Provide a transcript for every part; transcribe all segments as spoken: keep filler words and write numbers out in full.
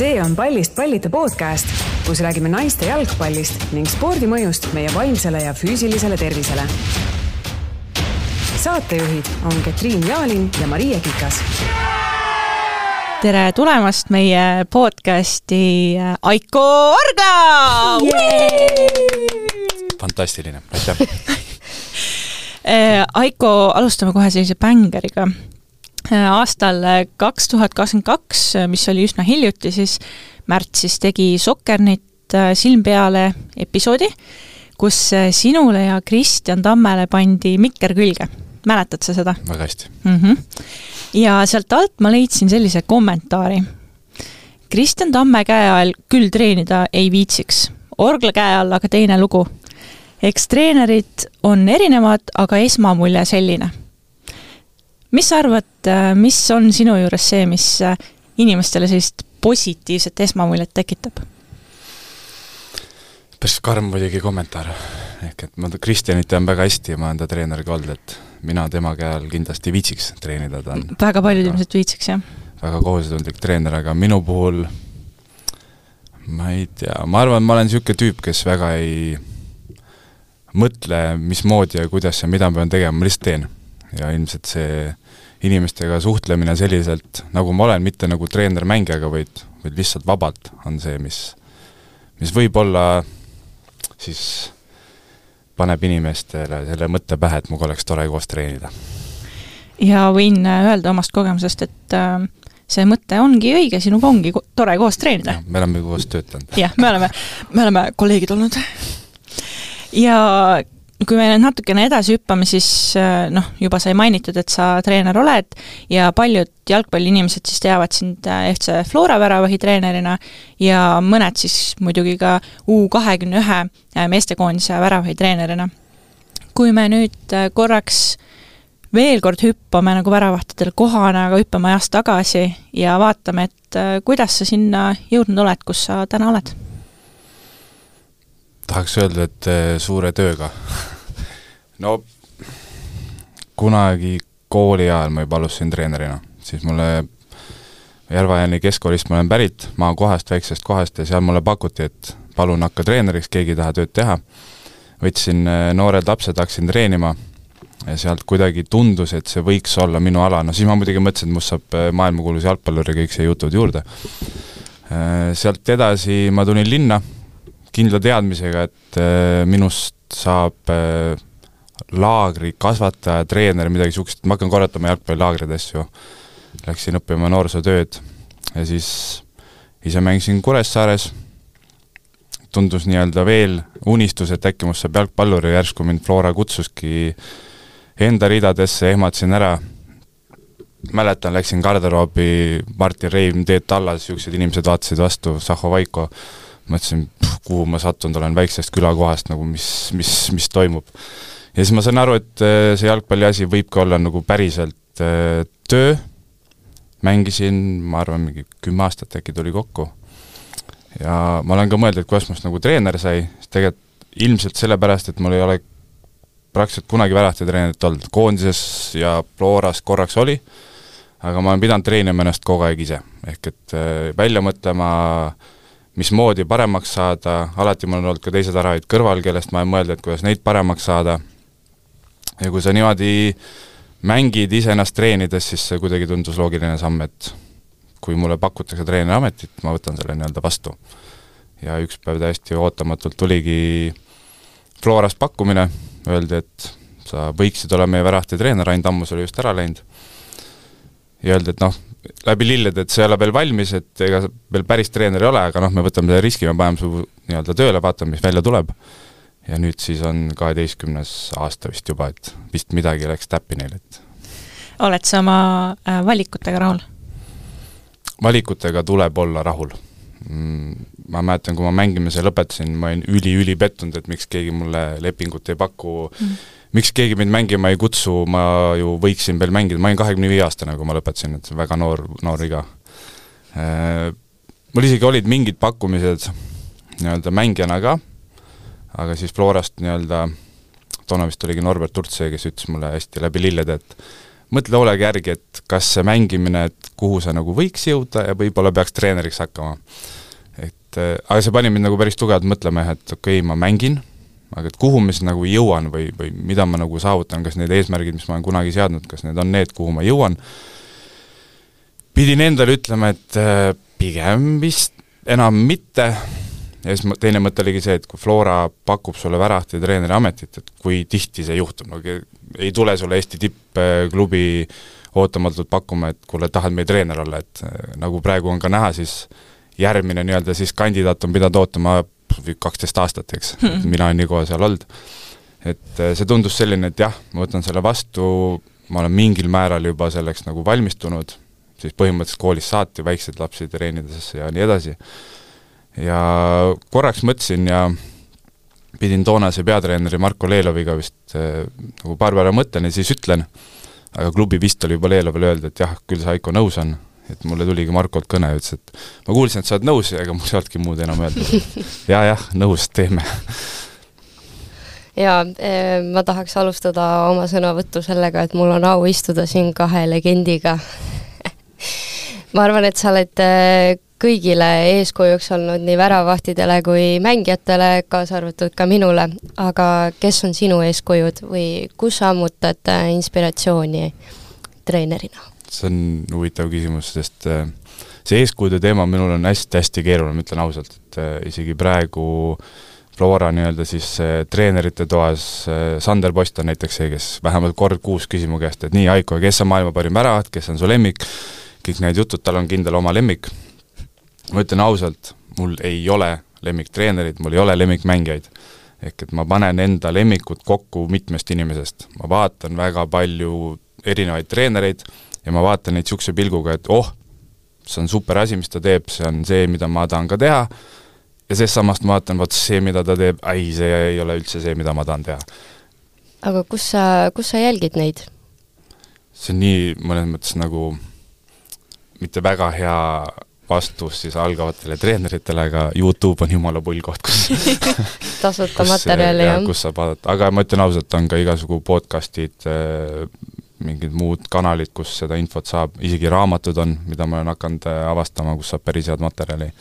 See on Pallist pallita podcast, kus räägime naiste jalgpallist ning spordimõjust meie vaimsele ja füüsilisele tervisele. Saatejuhid on Ketriin Jaalin ja Maria Kikas. Tere tulemast meie podcasti Aiko Orgla! Fantastiline, aitäh! Aiko, alustame kohe sellise bängeriga. Aastal kaks tuhat kakskümmend kaks, mis oli üsna hiljuti, siis märtsis tegi Sokkernit silm peale episoodi, kus sinule ja Kristjan Tammele pandi mikker külge. Mäletad sa seda? Väga hästi. Mm-hmm. Ja sealt alt ma leidsin sellise kommentaari. Kristjan Tamme käe all küll treenida ei viitsiks. Orgla käe all aga teine lugu. Eks treenerid on erinevad, aga esmamulje selline. Mis sa arvad, mis on sinu juures see, mis inimestele sellist positiivset esmamuljet tekitab? Päris karm muidugi kommentaar. Ehk et ma Kristjanit tean väga hästi ja ma olen ta treeneriga olnud, et mina tema käel kindlasti viitsiks treenida. Ta on väga paljud inimesed viitsiks, jah? Väga kohusetundlik treener, aga minu puhul ma ei tea, ma arvan, ma olen niisugune tüüp, kes väga ei mõtle, mismoodi ja kuidas ja mida ma pean tegema, ma lihtsalt teen. Ja ilmselt see inimestega suhtlemine selliselt, nagu ma olen, mitte nagu treener mängijaga, vaid, vaid lihtsalt vabalt on see, mis, mis võib olla siis paneb inimestele selle mõtte pähe, et muga oleks tore koos treenida. Ja võin öelda omast kogemusest, et see mõte ongi õige, sinuga ongi tore koos treenida. Ja, me oleme koos töötanud. Jah, me oleme, me oleme kolleegid olnud. Ja kui me natukene edasi hüppame, siis noh, juba sai mainitud, et sa treener oled ja paljud jalgpalliinimesed siis teavad sind F C Flora väravahi treenerina ja mõned siis muidugi ka U kahekümne ühe meestekoondise väravahi treenerina. Kui me nüüd korraks veel kord hüppame nagu väravahtidel kohana, aga hüppame ajast tagasi ja vaatame, et kuidas sa sinna jõudnud oled, kus sa täna oled? Tahaks öelda, et suure tööga. No, kunagi kooli ajal ma juba alustasin treenerina. Siis mulle Järva-Jänni keskkoolist ma olen pärit maa kohast, väiksest kohast ja seal mulle pakuti, et palun hakka treeneriks, keegi taha tööd teha. Võtsin noored lapsed, hakkasin treenima ja sealt kuidagi tundus, et see võiks olla minu ala. No siis ma muidugi mõtlesin, et must saab maailmakuulus jalgpallur ja kõik see jutud juurde. Sealt edasi ma tulin linna kindla teadmisega, et minust saab laagri kasvataja, treener, midagi sukest. Ma hakkan korratama jalgpallilaagrid asju. Läksin õppima noorsootööd ja siis ise mängisin Kuressaares. Tundus nii-öelda veel unistus, et äkki must saab jalgpallur ja järsku mind Flora kutsuski enda ridadesse, ehmatasin ära. Mäletan, läksin garderoobi, Martin Reim, Teet Tallas, siuksed inimesed vaatasid vastu, Saho Vaiko. Mõtlesin, kuhu ma sattunud olen väiksest külakohast, nagu mis, mis, mis toimub. Ja siis ma sain aru, et see jalgpalli asi võibki olla nagu päriselt töö. Mängisin, ma arvan, mingi kümme aastat äkki tuli kokku. Ja ma olen ka mõelnud, et kuidas must nagu treener sai, siis tegelikult ilmselt sellepärast, et mul ei ole praktiliselt kunagi värahti treenerit olnud. Koondises ja Floras korraks oli, aga ma olen pidanud treenima ennast kogu aeg ise. Ehk et välja mõtlema mismoodi paremaks saada, alati mul on olnud ka teised aravaid kõrval, kellest ma olen mõelnud, et kuidas neid paremaks saada. Ja kui sa niimoodi mängid ise ennast treenides, siis see kuidagi tundus loogiline samm, et kui mulle pakutakse treeneri ametit, ma võtan selle nii-öelda vastu. Ja üks päev täiesti ootamatult tuligi Florast pakkumine, öeldi, et sa võiksid olla meie värahti treener, ainult ammus oli just ära läinud. Ja öeldi, et noh, läbi lilled, et see ei ole veel valmis, et ega veel päris treener ei ole, aga noh, me võtame selle riski, me paneme su nii-öelda tööle, vaatame, mis välja tuleb. Ja nüüd siis on kaheteistkümnes aasta vist juba, et vist midagi läks täppi neil. Et... Oled sa oma valikutega rahul? Valikutega tuleb olla rahul. Ma mäletan, kui ma mängimise lõpetasin, ma olin üli-üli pettunud, et miks keegi mulle lepingut ei paku, mm. miks keegi mind mängima ei kutsu, ma ju võiksin veel mängida, ma olin kahekümne viie aastane, kui ma lõpetasin, et väga noor, noor iga. Mul isegi olid mingid pakkumised nii-öelda mängijana ka, aga siis Florast nii-öelda, toona vist oligi Norbert Turtse, kes ütles mulle hästi läbi lilled, et mõtle hoolega järgi, et kas see mängimine, et kuhu sa nagu võiks jõuda ja võib-olla peaks treeneriks hakkama. Et, aga see pani mind nagu päris tugevalt mõtlema, et okei okay,, ma mängin, aga et kuhu ma siis nagu jõuan või, või mida ma nagu saavutan, kas need eesmärgid, mis ma olen kunagi seadnud, kas need on need, kuhu ma jõuan. Pidin endale ütlema, et pigem vist enam mitte. Ja siis teine mõte oligi see, et kui Flora pakub sulle värahti treeneri ametit, et kui tihti see juhtub, no ei tule sulle Eesti tippklubi ootamatult pakkuma, et kuule, tahad meie treener olla, et nagu praegu on ka näha, siis järgmine nii-öelda siis kandidaat on pidanud ootama kaksteist aastat, eks, hmm. mina on nii kohe seal olnud. Et see tundus selline, et jah, ma võtan selle vastu, ma olen mingil määral juba selleks nagu valmistunud, siis põhimõtteliselt koolis saati väikseid lapsi treenidesse ja nii edasi. Ja korraks mõtlesin ja pidin toonase peatreeneri Marko Leeloviga vist äh, nagu paar päeva mõtlen ja siis ütlen, aga klubi vist oli juba Leelovile öelda, et jah, küll see Aiko nõus on, et mulle tuligi Markolt kõne ja ütles, et ma kuulsin, et sa oled nõus, ega mul ei olnudki muud enam öelda. ja jah, nõus, teeme. Ja ma tahaks alustada oma sõnavõttu sellega, et mul on au istuda siin kahe legendiga. ma arvan, et sa oled kõigile eeskujuks olnud nii väravahtidele kui mängijatele, kaasa arvatud ka minule, aga kes on sinu eeskujud või kus sa ammutad inspiratsiooni treenerina? See on huvitav küsimus, sest see eeskujude teema minul on hästi-hästi keeruline, ma ütlen ausalt, et isegi praegu Flora nii-öelda siis treenerite toas Sander Post on näiteks see, kes vähemalt kord kuus küsimu käest, et nii, Aiko, kes on maailma parim väravaht, kes on su lemmik, kõik need jutud, tal on kindel oma lemmik. Ma ütlen ausalt, mul ei ole lemmiktreenerid, mul ei ole lemmikmängijaid. Ehk et ma panen enda lemmikut kokku mitmest inimesest. Ma vaatan väga palju erinevaid treenereid ja ma vaatan neid siukse pilguga, et oh, see on super asi, mis ta teeb, see on see, mida ma tahan ka teha. Ja sest samast ma vaatan, vaat see, mida ta teeb, ai, see ei ole üldse see, mida ma tahan teha. Aga kus sa, kus sa jälgid neid? See on nii mõnes mõttes nagu mitte väga hea vastus siis algavatele treeneritele, aga YouTube on jumala pull koht, kus tasuta materjali, jah. Kus saab vaadata, aga ma ütlen ausalt, on ka igasugu podcastid, mingid muud kanalid, kus seda infot saab, isegi raamatud on, mida ma olen hakanud avastama, kus saab päris head materjali.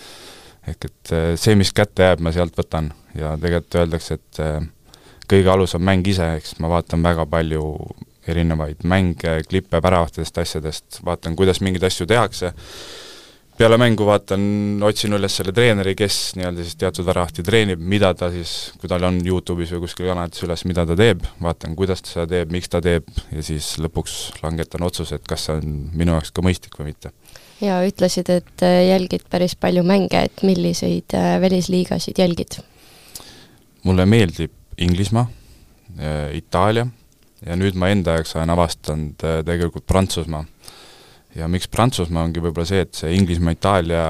Ehk et see, mis kätte jääb, ma sealt võtan ja tegelikult öeldakse, et kõige alus on mäng ise, eks ma vaatan väga palju erinevaid mänge, klippe väravahtidest asjadest, vaatan, kuidas mingeid asju tehakse. Peale mängu vaatan, otsin üles selle treeneri, kes nii-öelda siis teatud väravahti treenib, mida ta siis, kui tal on YouTube'is või kuskil kanalites üles, mida ta teeb, vaatan, kuidas ta seda teeb, miks ta teeb ja siis lõpuks langetan otsuse, et kas see on minu jaoks ka mõistlik või mitte. Ja ütlesid, et jälgid päris palju mänge, et milliseid välisliigasid jälgid? Mulle meeldib Inglismaa, Itaalia ja nüüd ma enda jaoks olen avastanud tegelikult Prantsusmaa. Ja miks Prantsusmaa ongi võib-olla see, et see Inglismaa, Itaalia,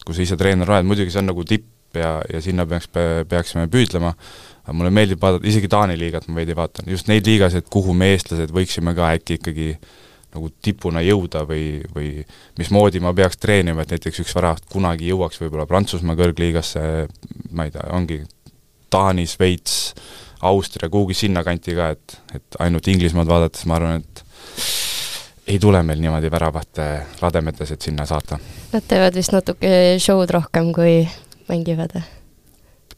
kui sa ise treener oled, muidugi see on nagu tipp ja, ja sinna peaks, peaksime püüdlema, aga mulle meeldib vaadata, isegi Taani liigat ma veidi vaatan, just neid liigasid, kuhu me eestlased võiksime ka äkki ikkagi nagu tipuna jõuda või, või mismoodi ma peaks treenima, et näiteks üks väravaht kunagi jõuaks võib-olla Prantsusmaa kõrgliigasse, ma ei tea, ongi Taani, Sveits, Austria, kuhugi sinna kanti ka, et, et ainult Inglismaad vaadates ma arvan, et ei tule meil niimoodi väravahte rademetes, et sinna saata. Nad teevad vist natuke show'd rohkem, kui mängivad.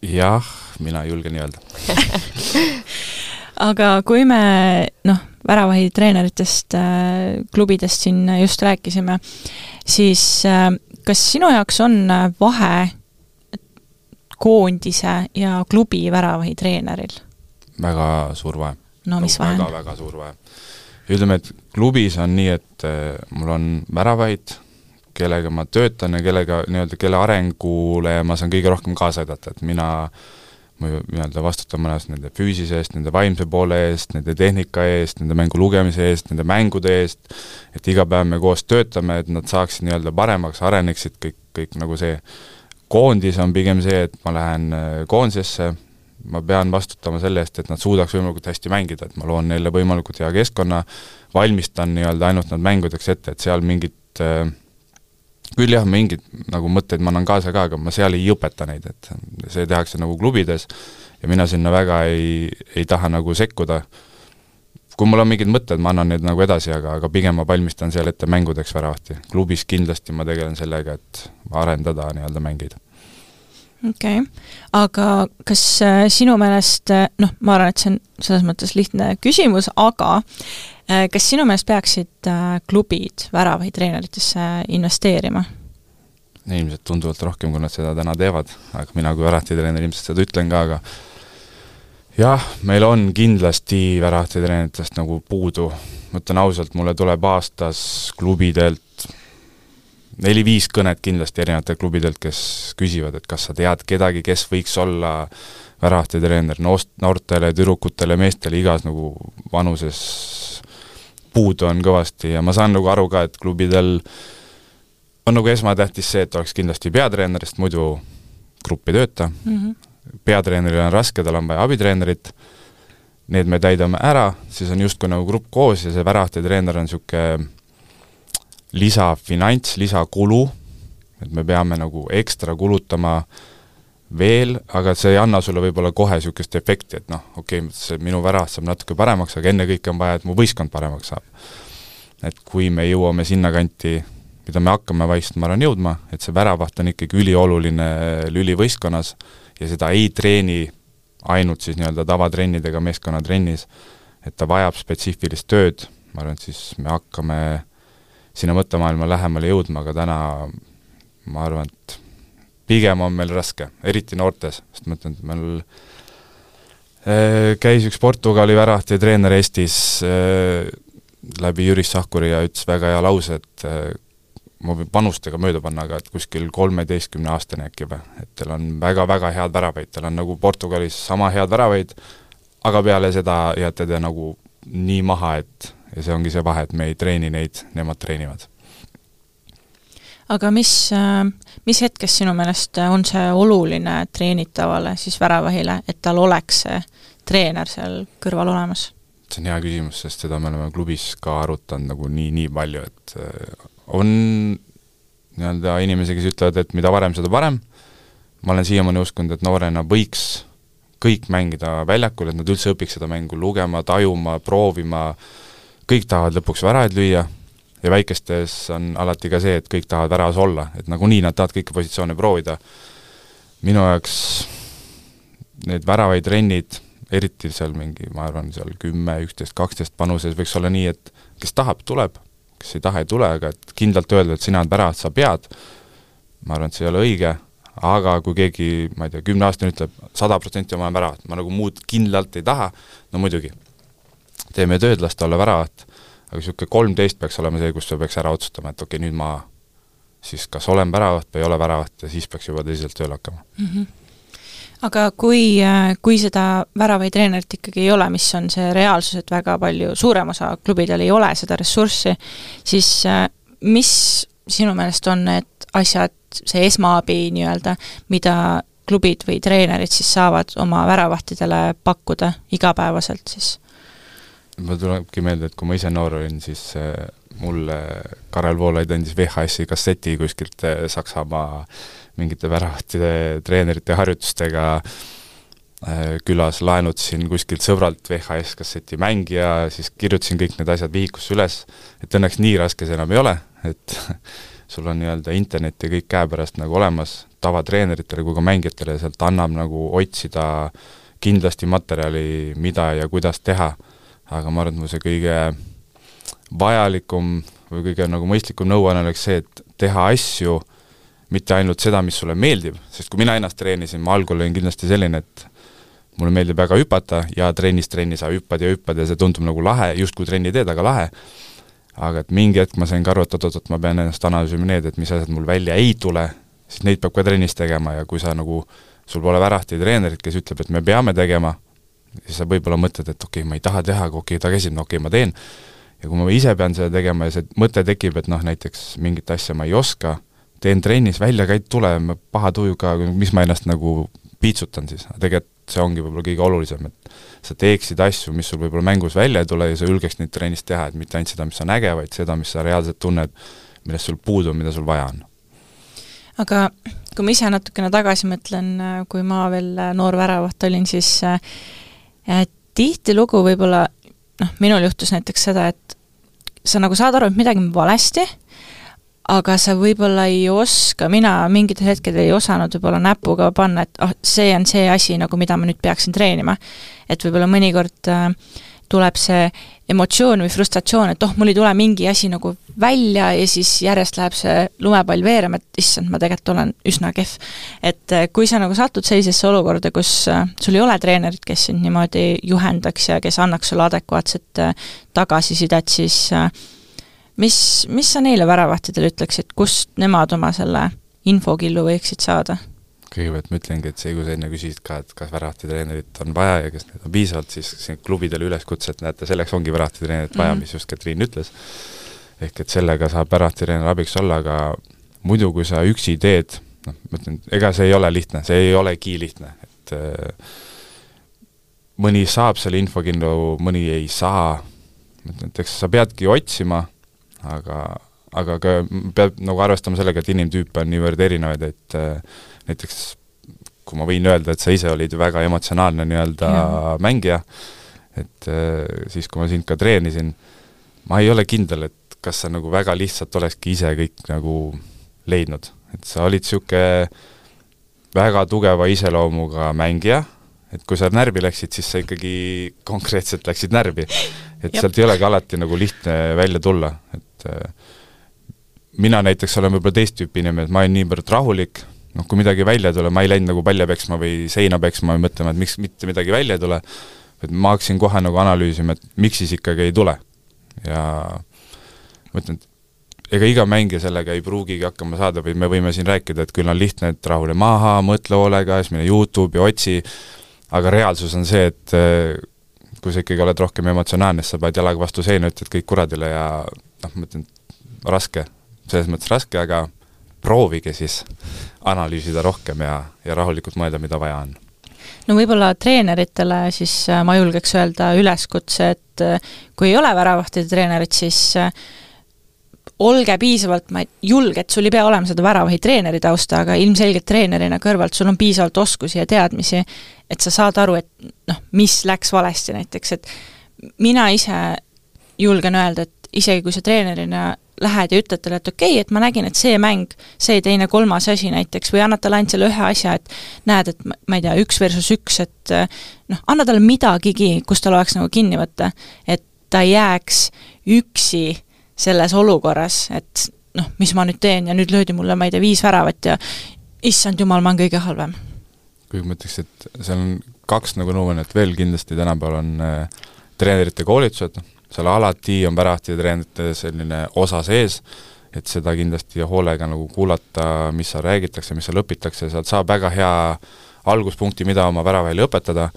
Jah, mina julgen nii öelda. Aga kui me noh, väravahi treeneritest, klubidest siin just rääkisime, siis kas sinu jaoks on vahe koondise ja klubi väravahi treeneril? Väga suur vahe. No mis vahe? Väga, väga suur vahe. Ütleme, et klubis on nii, et mul on väravahid, kellega ma töötan ja kellega, nii-öelda, kelle arengule ma saan kõige rohkem kaasa aidata, et mina ma nii-öelda vastutan mõnes nende füüsise eest, nende vaimse poole eest, nende tehnika eest, nende mängu lugemise eest, nende mängude eest, et iga päev me koos töötame, et nad saaksid nii-öelda paremaks, areneksid kõik, kõik nagu see. Koondis on pigem see, et ma lähen koondisesse, ma pean vastutama selle eest, et nad suudaks võimalikult hästi mängida, et ma loon neile võimalikult hea keskkonna, valmistan nii-öelda ainult nad mängudeks ette, et seal mingid äh, küll jah, mingid nagu mõtteid ma annan kaasa ka, aga ma seal ei õpeta neid, et see tehakse nagu klubides ja mina sinna väga ei, ei taha nagu sekkuda. kui mul on mingid mõtted, ma annan need nagu edasi, aga, aga pigem ma valmistan seal ette mängudeks väravahti. Klubis kindlasti ma tegelen sellega, et arendada nii-öelda mängeid. Okei, okay. Aga kas sinu meelest, noh, ma arvan, et see on selles mõttes lihtne küsimus, aga kas sinu meelest peaksid klubid väravaid treeneritesse investeerima? Ilmselt tunduvalt rohkem, kui nad seda täna teevad, aga mina kui väravahti treener ilmselt seda ütlen ka, aga jah, meil on kindlasti väravahti treeneritest nagu puudu. Mõtlen ausalt, mulle tuleb aastas klubidelt neli-viis kõnet kindlasti erinevatel klubidelt, kes küsivad, et kas sa tead kedagi, kes võiks olla väravahti treener noortele, tüdrukutele, meestele, igas nagu vanuses puudu on kõvasti ja ma saan nagu aru ka, et klubidel on nagu esmatähtis see, et oleks kindlasti peatreenerist, muidu gruppi tööta. Mm-hmm. Peatreeneril on raske, tal on vaja abitreenerit, need me täidame ära, siis on justkui nagu grupp koos ja see väravahti treener on siuke lisafinants, lisakulu, et me peame nagu ekstra kulutama veel, aga see ei anna sulle võib-olla kohe niisugust efekti, et noh, okei okay,, see minu väravahti saab natuke paremaks, aga enne kõik on vaja, et mu võistkond paremaks saab. Et kui me jõuame sinna kanti, mida me hakkame vaist, ma arvan jõudma, et see väravaht on ikkagi ülioluline lüli võistkonnas ja seda ei treeni ainult siis nii-öelda tavatrennidega meeskonnatrennis, et ta vajab spetsiifilist tööd, ma arvan, et siis me hakkame sinna mõttemaailma lähemale jõudma, aga täna ma arvan, et pigem on meil raske, eriti noortes, sest ma ütlen, et meil äh, käis üks Portugali väravahti treener Eestis äh, läbi Jüris Sahkuri ja ütles väga hea lause, et äh, ma võin panustega mööda panna, aga et kuskil kolmeteistkümne aastane äkki või, et teil on väga-väga head väravaid, teil on nagu Portugalis sama head väravaid, aga peale seda jääte te nagu nii maha, et ja see ongi see vahe, et me ei treeni neid, nemad treenivad. Aga mis, mis hetkes sinu meelest on see oluline treenitavale siis väravahile, et tal oleks see treener seal kõrval olemas? See on hea küsimus, sest seda me oleme klubis ka arutanud nagu nii, nii palju, et on nii-öelda inimesi, kes ütlevad, et mida varem, seda parem. Ma olen siiamaani uskunud, et noorena võiks kõik mängida väljakul, et nad üldse õpiks seda mängu lugema, tajuma, proovima, kõik tahavad lõpuks väravaid lüüa ja väikestes on alati ka see, et kõik tahavad väravas olla, et nagunii nad tahavad kõiki positsioone proovida. Minu jaoks need väravaid trennid, eriti seal mingi, ma arvan, seal kümme, üksteist, kaksteist panuses võiks olla nii, et kes tahab, tuleb, kes ei taha, ei tule, aga et kindlalt öelda, et sina on väravat, sa pead, ma arvan, et see ei ole õige, aga kui keegi, ma ei tea, kümne aastane ütleb, sada protsenti oma väravat, ma nagu muud kindlalt ei taha, no muidugi teeme tööd, lasta olla väravat, aga niisugune kolmteist peaks olema see, kus sa peaks ära otsustama, et okei, okay, nüüd ma siis kas olen väravat või ei ole väravat ja siis peaks juba tõsiselt tööle hakkama. Mm-hmm. Aga kui, kui seda väravaid treenerit ikkagi ei ole, mis on see reaalsus, et väga palju suurem osa klubidel ei ole seda ressurssi, siis mis sinu meelest on need asjad, see esmaabi nii-öelda, mida klubid või treenerid siis saavad oma väravahtidele pakkuda igapäevaselt siis? Ma tulebki meelde, et kui ma ise noor olin, siis mulle Karel Voolaid andis V H S-i kasseti kuskilt Saksamaa mingite väravahti treenerite harjutustega külas, laenutasin kuskilt sõbralt V H S-kasseti mängija, siis kirjutasin kõik need asjad vihikusse üles, et õnneks nii raske see enam ei ole, et sul on nii-öelda internet ja kõik käepärast nagu olemas, tavatreeneritele kui ka mängijatele, sealt annab nagu otsida kindlasti materjali, mida ja kuidas teha, aga ma arvan, et see kõige vajalikum või kõige nagu mõistlikum nõuanne oleks see, et teha asju, mitte ainult seda, mis sulle meeldib, sest kui mina ennast treenisin, ma algul olin kindlasti selline, et mulle meeldib väga hüpata ja trennis trenni sa hüppad ja hüppad ja see tundub nagu lahe, just kui trenni teed, aga lahe. Aga et mingi hetk ma sain ka aru, et, et, et ma pean ennast analüüsima need, et mis asjad mul välja ei tule, siis neid peab ka trennis tegema ja kui sa nagu, sul pole väravahti treenerit, kes ütleb, et me peame tegema, siis sa võib-olla mõtled, et okei okay,, ma ei taha teha, aga okei okay,, ta käsib, no okei okay,, ma teen. Ja kui ma ise pean seda tegema ja see mõte tekib, et noh, näiteks mingit asja ma ei oska, teen trennis, välja käid tule, paha tujuga, mis ma ennast nagu piitsutan siis. Tegelikult see ongi võib-olla kõige olulisem, et sa teeksid asju, mis sul võib-olla mängus välja ei tule ja sa julgeks neid trennis teha, et mitte ainult seda, mis on äge, vaid seda, mis sa reaalselt tunned, millest sul puudu, mida sul vaja on. Aga kui ma ise natukene tagasi mõtlen, kui ma veel noor väravaht olin, siis et tihti lugu võib-olla noh, minul juhtus näiteks seda, et sa nagu saad aru, et midagi on valesti, aga sa võib-olla ei oska, mina mingitel hetkel ei osanud võib-olla näpuga panna, et oh, see on see asi, nagu mida ma nüüd peaksin treenima. Et võib-olla mõnikord äh, tuleb see emotsioon või frustratsioon, et oh, mul ei tule mingi asi nagu välja ja siis järjest läheb see lumepall veerema, et issand, ma tegelikult olen üsna kehv. Et äh, kui sa nagu satud sellisesse olukorda, kus äh, sul ei ole treenerit, kes sind niimoodi juhendaks ja kes annaks sulle adekvaatset äh, tagasisidet, siis äh, Mis, mis sa neile väravahtidele ütleksid, kust nemad oma selle infokillu võiksid saada? Kõigepealt ma ütlengi, et see, kui sa enne küsisid ka, et kas väravahtidreenerit on vaja ja kas need on piisavalt, siis klubidele üleskutse, et näete, selleks ongi väravahtidreenerit vaja, mis just Katriin ütles. Ehk et sellega saab väravahtidreener abiks olla, aga muidu, kui sa üksi teed, noh, ma ütlen, ega see ei ole lihtne, see ei olegi lihtne, et äh, mõni saab selle infokillu, mõni ei saa, ma ütlen, et eks sa peadki otsima, aga, aga ka peab nagu arvestama sellega, et inimtüüpe on niivõrd erinevaid, et äh, näiteks kui ma võin öelda, et sa ise olid väga emotsionaalne nii-öelda ja. mängija, et äh, siis kui ma sind ka treenisin, ma ei ole kindel, et kas sa nagu väga lihtsalt olekski ise kõik nagu leidnud, et sa olid siuke väga tugeva iseloomuga mängija, et kui sa närvi läksid, siis sa ikkagi konkreetselt läksid närvi, et Jep. sealt ei olegi alati nagu lihtne välja tulla, et mina näiteks olen võib-olla teist tüüpi inimene, et ma olen niivõrd rahulik, noh, kui midagi välja tule, ma ei läinud nagu palja peksma või seina peksma või mõtlema, et miks mitte midagi välja ei tule, et ma hakkasin kohe nagu analüüsima, et miks siis ikkagi ei tule. Ja ma ütlen, et ega iga mängija sellega ei pruugigi hakkama saada, või me võime siin rääkida, et küll on lihtne, et rahule maha, mõtle hoolega, siis mine YouTube ja otsi, aga reaalsus on see, et kui sa ikkagi oled rohkem emotsionaalne, sa paned jalaga vastu seina, ütled kõik kuradile ja noh, ma ütlen, raske, selles mõttes raske, aga proovige siis analüüsida rohkem ja, ja rahulikult mõelda, mida vaja on. No võib-olla treeneritele siis ma julgeks öelda üleskutse, et kui ei ole väravahtide treenerit, siis olge piisavalt, ma ei julge, et sul ei pea olema seda väravahi treeneri tausta, aga ilmselgelt treenerina kõrvalt sul on piisavalt oskusi ja teadmisi, et sa saad aru, et noh, mis läks valesti näiteks, et mina ise julgen öelda, et isegi kui sa treenerina lähed ja ütled talle, et okei, okay, et ma nägin, et see mäng, see teine kolmas asi näiteks, või annad talle ainult selle ühe asja, et näed, et ma ei tea, üks versus üks, et noh, anna talle midagigi, kus tal oleks nagu kinni võtta, et ta ei jääks üksi selles olukorras, et noh, mis ma nüüd teen ja nüüd löödi mulle, ma ei tea, viis väravat ja issand jumal, ma on kõige halvem. Kui ma ütleks, et seal on kaks nagu nõuannet veel kindlasti tänapäeval on äh, treenerite koolitused, seal alati on väravahtide treenerite selline osa sees, et seda kindlasti hoolega nagu kuulata, mis seal räägitakse, mis seal õpitakse, sealt saab väga hea alguspunkti, mida oma väravahile õpetada,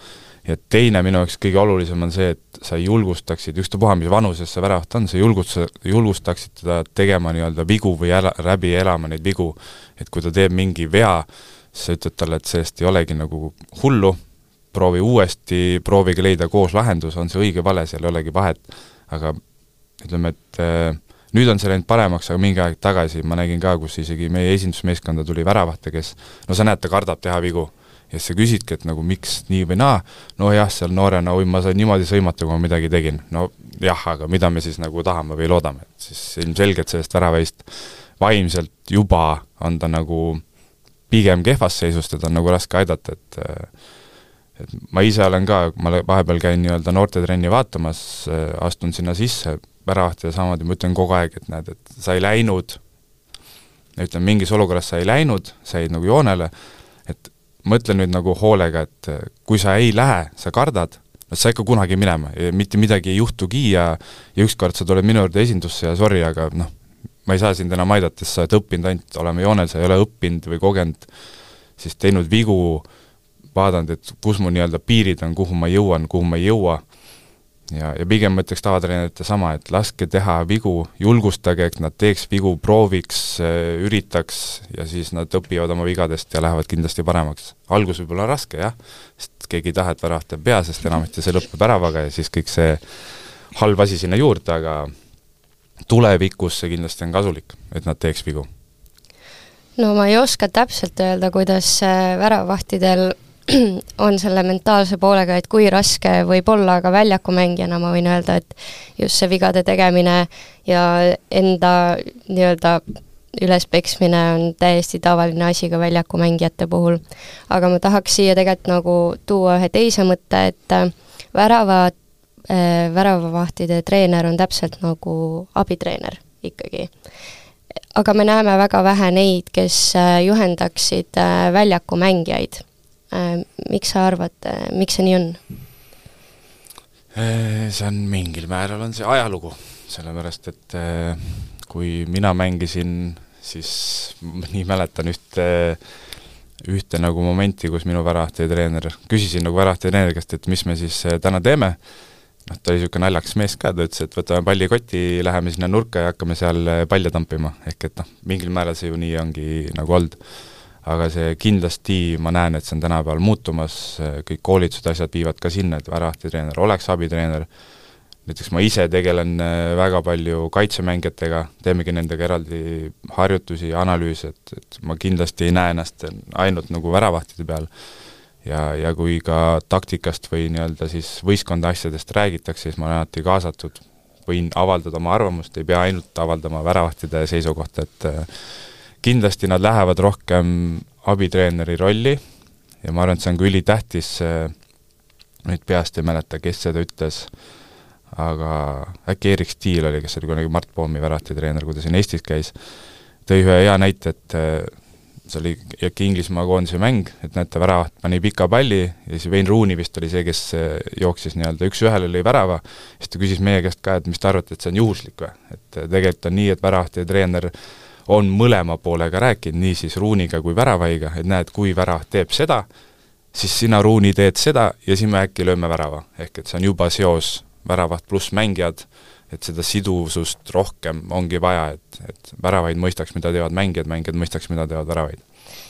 ja teine minu jaoks kõige olulisem on see, et sa julgustaksid, ükstapuha, mis vanuses see väravaht on, sa julgust, julgustaksid teda tegema nii-öelda vigu või äla, läbi elama neid vigu, et kui ta teeb mingi vea, siis sa ütled talle, et sellest ei olegi nagu hullu, proovi uuesti, proovige leida koos lahendus, on see õige vale, seal ei olegi vahet, aga ütleme, et äh, nüüd on see läinud paremaks, aga mingi aeg tagasi ma nägin ka, kus isegi meie esindusmeeskonda tuli väravahte, kes, no sa näed, ta kardab teha vigu, ja sa küsidki, et nagu miks nii või naa, no jah, seal noorena, oi, ma sain niimoodi sõimata, kui ma midagi tegin, no jah, aga mida me siis nagu tahame või loodame, et siis ilmselgelt sellest väravahist vaimselt juba on ta nagu pigem kehvas seisust, et on nagu raske aidata, et äh, et ma ise olen ka, ma vahepeal käin nii-öelda noortetrenni vaatamas, astun sinna sisse, väravahtida samamoodi, ma ütlen kogu aeg, et näed, et sa ei läinud, ütlen, mingis olukorras sa ei läinud, sa jäid nagu joonele, et mõtle nüüd nagu hoolega, et kui sa ei lähe, sa kardad, no sa ikka kunagi minema, mitte midagi ei juhtugi ja, ja ükskord sa tuled minu juurde esindusse ja sorry, aga noh, ma ei saa sind enam aidata, sest sa oled õppinud ainult olema joonel, sa ei ole õppinud või kogenud, siis teinud vigu, vaadanud, et kus mu nii-öelda piirid on, kuhu ma jõuan, kuhu ma ei jõua ja, ja pigem ma ütleks tavatreenerite sama, et laske teha vigu, julgustage, et nad teeks vigu, prooviks, üritaks ja siis nad õpivad oma vigadest ja lähevad kindlasti paremaks. Algus võib olla raske, jah, sest keegi ei taha, et väravat teeb pea, sest enamasti see lõppeb väravaga ja siis kõik see halb asi sinna juurde, aga tulevikus see kindlasti on kasulik, et nad teeks vigu. No ma ei oska täpselt öelda, kuidas väravahtidel on selle mentaalse poolega, et kui raske võib olla, aga väljakumängijana ma võin öelda, et just see vigade tegemine ja enda nii-öelda ülespeksmine on täiesti tavaline asi ka väljakumängijate puhul. Aga ma tahaks siia tegelikult nagu tuua ühe teise mõtte, et värava, äh, väravavahtide treener on täpselt nagu abitreener ikkagi. Aga me näeme väga vähe neid, kes juhendaksid väljakumängijaid. Miks sa arvad, miks see nii on? See on mingil määral on see ajalugu, sellepärast et kui mina mängisin, siis nii mäletan ühte, ühte nagu momenti, kus minu väravahti treener, küsisin nagu väravahti treeneri käest, et mis me siis täna teeme. Noh, ta oli niisugune naljakas mees ka, ta ütles, et võtame pallikoti, läheme sinna nurka ja hakkame seal palle tampima. Ehk et noh, mingil määral see ju nii ongi nagu olnud. Aga see kindlasti, ma näen, et see on tänapäeval muutumas, kõik koolitused asjad viivad ka sinna, et väravahti treener oleks abitreener. Näiteks ma ise tegelen väga palju kaitsemängijatega, teemegi nendega eraldi harjutusi ja analüüse, et, et ma kindlasti ei näe ennast ainult nagu väravahtide peal. Ja, ja kui ka taktikast või nii-öelda siis võistkonda asjadest räägitakse, siis ma olen alati kaasatud, võin avaldada oma arvamust, ei pea ainult avaldama väravahtide seisukohta, et kindlasti nad lähevad rohkem abitreeneri rolli ja ma arvan, et see on ka ülitähtis, nüüd peast ei mäleta, kes seda ütles, aga äkki Erik Stiil oli, kes oli kunagi Mart Poomi väravahti treener, kui ta siin Eestis käis, tõi ühe hea näite, et see oli äkki Inglismaa koondise mäng, et näete, väravaht pani pika palli ja siis Wayne Rooney vist oli see, kes jooksis nii-öelda üks ühele lõi värava, siis ta küsis meie käest ka, et mis ta arvate, et see on juhuslik või? Et tegelikult on nii, et väravahti treener on mõlema poolega rääkinud, nii siis Rooneyga kui väravaiga, et näed, kui värav teeb seda, siis sina Rooney teed seda ja siis me äkki lööme värava. Ehk et see on juba seos väravaht pluss mängijad, et seda sidusust rohkem ongi vaja, et, et väravaid mõistaks, mida teevad mängijad, mängijad mõistaks, mida teevad väravaid.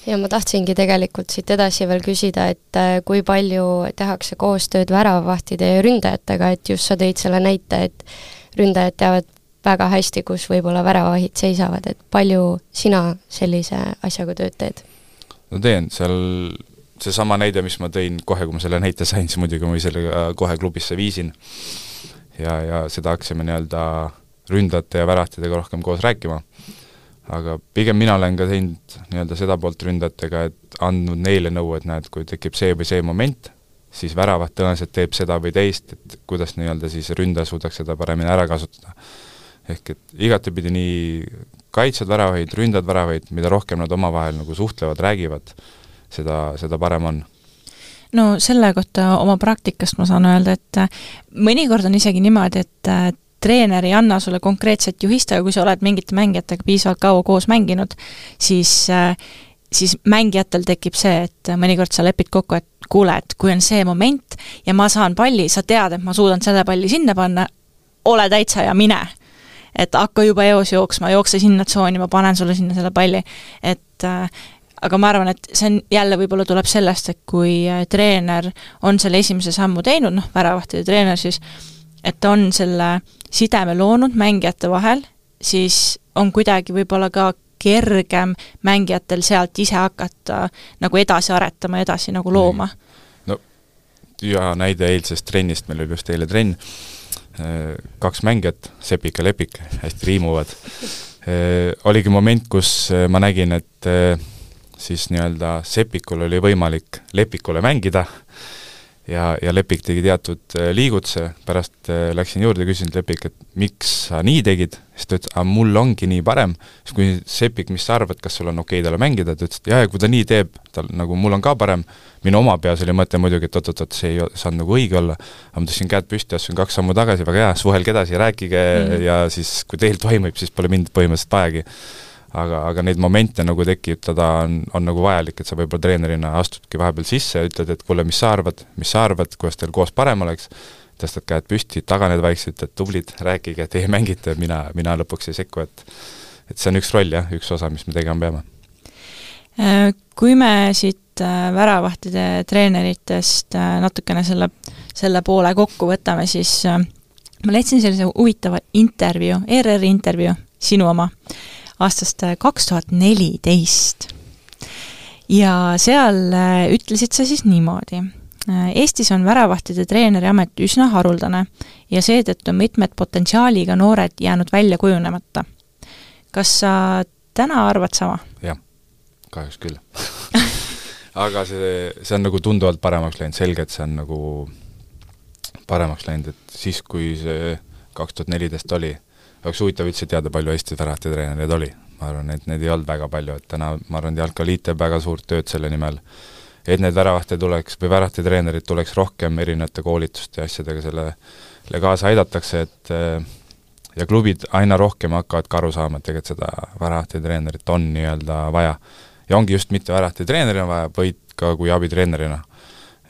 Ja ma tahtsingi tegelikult siit edasi veel küsida, et kui palju tehakse koostööd väravavahtide ja ründajatega, et just sa tõid selle näite, et ründajad teavad väga hästi, kus võib-olla väravahid seisavad, et palju sina sellise asjaga tööd teed? No teen, seal see sama näide, mis ma tõin kohe, kui ma selle näite sain, siis muidugi ma selle kohe klubisse viisin ja, ja seda hakkasime nii-öelda ründajate ja värahtidega rohkem koos rääkima. Aga pigem mina olen ka teinud nii-öelda seda poolt ründajatega, et andnud neile nõu, et näed, kui tekib see või see moment, siis väravat tõenäoliselt teeb seda või teist, et kuidas nii-öelda siis ründaja suudaks seda paremini ära kasutada. Ehk et igatepidi nii kaitsed väravaid, ründad väravaid, mida rohkem nad omavahel nagu suhtlevad, räägivad, seda, seda parem on. No selle kohta oma praktikast ma saan öelda, et mõnikord on isegi niimoodi, et treener ei anna sulle konkreetset juhist, aga kui sa oled mingite mängijatega piisavalt kaua koos mänginud, siis, siis mängijatel tekib see, et mõnikord sa lepid kokku, et kuule, et kui on see moment ja ma saan palli, sa tead, et ma suudan selle palli sinna panna, ole täitsa ja mine. Et hakka juba eos jooksma, jookse sinna tsooni, ma panen sulle sinna selle palli. Et aga ma arvan, et see on, jälle võib-olla tuleb sellest, et kui treener on selle esimese sammu teinud, noh, väravahtide treener siis, et on selle sideme loonud mängijate vahel, siis on kuidagi võib-olla ka kergem mängijatel sealt ise hakata nagu edasi aretama, edasi nagu looma. No, ja näide eilsest trennist, meil oli just eile trenn, kaks mängijat, Sepik ja Lepik, hästi riimuvad. Oligi moment, kus ma nägin, et siis nii-öelda Sepikul oli võimalik Lepikule mängida ja, ja Lepik tegi teatud liigutse, pärast läksin juurde ja küsin Lepik, et miks sa nii tegid, siis ta ütles, aga mul ongi nii parem, siis kui Sepik, mis sa arvad, kas sul on okei talle mängida, ta ütles, et jah, ja kui ta nii teeb, tal nagu mul on ka parem, minu oma peas oli mõte muidugi, et oot-oot, see ei saanud nagu õige olla, aga ma tõstsin käed püsti, assun kaks sammu tagasi, väga hea, suhelge edasi, rääkige mm. ja siis, kui teil toimub, siis pole mind põhimõtteliselt vajagi. Aga, aga neid momente nagu tekitada on, on nagu vajalik, et sa võib-olla treenerina astudki vahepeal sisse ja ütled, et kuule, mis sa arvad, mis sa arvad, kuidas teil koos parem oleks, tõstad käed püsti, taganed vaikselt, et tublid, rääkige, et ei mängite, mina, mina lõpuks ei sekku, et, et see on üks roll, jah, üks osa, mis me tegema peame. Kui me siit väravahtide treeneritest natukene selle, selle poole kokku võtame, siis ma leidsin sellise huvitava intervjuu, E R R intervjuu, sinu oma, aastast kaks tuhat neliteist. ja seal ütlesid sa siis niimoodi. Eestis on väravahtide treeneri amet üsna haruldane ja seetõttu on mitmed potentsiaaliga noored jäänud välja kujunemata. Kas sa täna arvad sama? Jah, kahjuks küll. Aga see, see on nagu tunduvalt paremaks läinud, selge, et see on nagu paremaks läinud, et siis, kui see kaks tuhat neliteist oli, oleks huvitav üldse teada, palju Eesti väravate treenereid oli. Ma arvan, et need ei olnud väga palju, et täna, ma arvan, jalkaliit teeb väga suurt tööd selle nimel, et need väravate tuleks, või väravate treenerid tuleks rohkem erinevate koolituste ja asjadega sellele kaasa aidatakse, et ja klubid aina rohkem hakkavad ka aru saama, et tegelikult seda väravate treenerit on nii-öelda vaja. Ja ongi just mitte väravate treenerina vaja, vaid ka kui abitreenerina.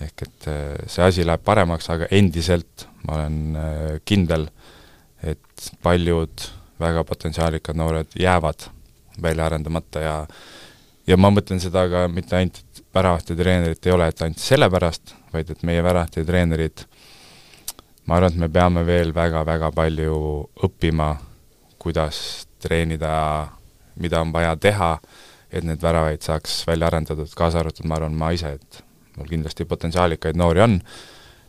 Ehk et see asi läheb paremaks, aga endiselt ma olen kindel, et paljud väga potentsiaalikad noored jäävad välja arendamata ja, ja ma mõtlen seda ka mitte ainult, et väravate treenerit ei ole, et ainult sellepärast, vaid et meie väravate treenerid, ma arvan, et me peame veel väga-väga palju õppima, kuidas treenida, mida on vaja teha, et need väravaid saaks välja arendatud, kaasa arvatud, ma arvan, ma ise, et mul kindlasti potentsiaalikaid noori on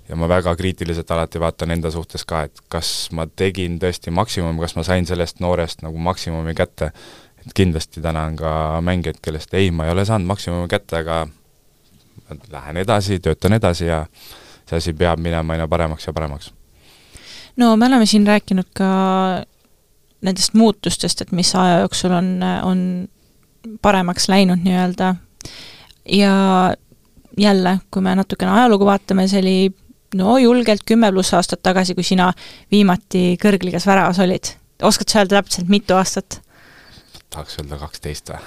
ja ma väga kriitiliselt alati vaatan enda suhtes ka, et kas ma tegin tõesti maksimum, kas ma sain sellest noorest nagu maksimumi kätte, et kindlasti täna on ka mängijad, kellest ei, ma ei ole saanud maksimumi kätte, aga lähen edasi, töötan edasi ja see asi peab minema aina paremaks ja paremaks. No me oleme siin rääkinud ka nendest muutustest, et mis aja jooksul on, on paremaks läinud nii-öelda ja jälle, kui me natukene ajalugu vaatame, see oli no julgelt kümme pluss aastat tagasi, kui sina viimati kõrgligas väravas olid. Oskad sa öelda täpselt mitu aastat? Tahaks öelda kaksteist või?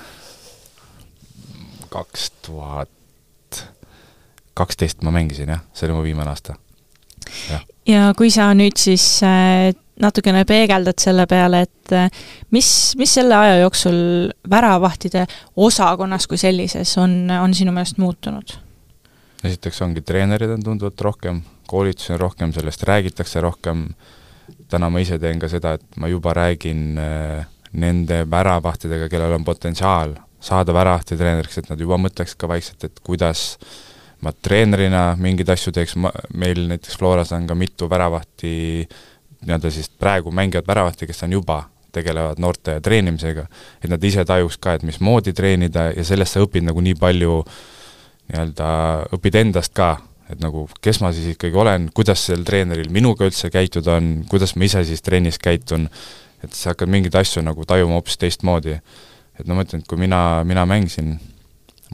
kaks tuhat kaksteist ma mängisin, jah. See oli mu viimane aasta. Ja. ja kui sa nüüd siis natukene peegeldad selle peale, et mis, mis selle aja jooksul väravahtide osakonnas kui sellises on, on sinu meelest muutunud? Esiteks ongi treenerid on tunduvalt rohkem, koolitus on rohkem, sellest räägitakse rohkem. Täna ma ise teen ka seda, et ma juba räägin nende väravahtidega, kellel on potentsiaal saada väravahti treeneriks, et nad juba mõtleks ka vaikselt, et kuidas ma treenerina mingeid asju teeks. Ma, meil näiteks Floras on ka mitu väravahti, nii-öelda siis praegu mängivad väravahti, kes on juba tegelevad noorte treenimisega, et nad ise tajuks ka, et mis moodi treenida ja sellest sa õpid nagu nii palju nii-öelda õpid endast ka, et nagu kes ma siis ikkagi olen, kuidas sel treeneril minuga üldse käitud on, kuidas ma ise siis trennis käitun, et sa hakkad mingeid asju nagu tajuma hoopis teistmoodi. Et no mõtlen, et kui mina, mina mängisin,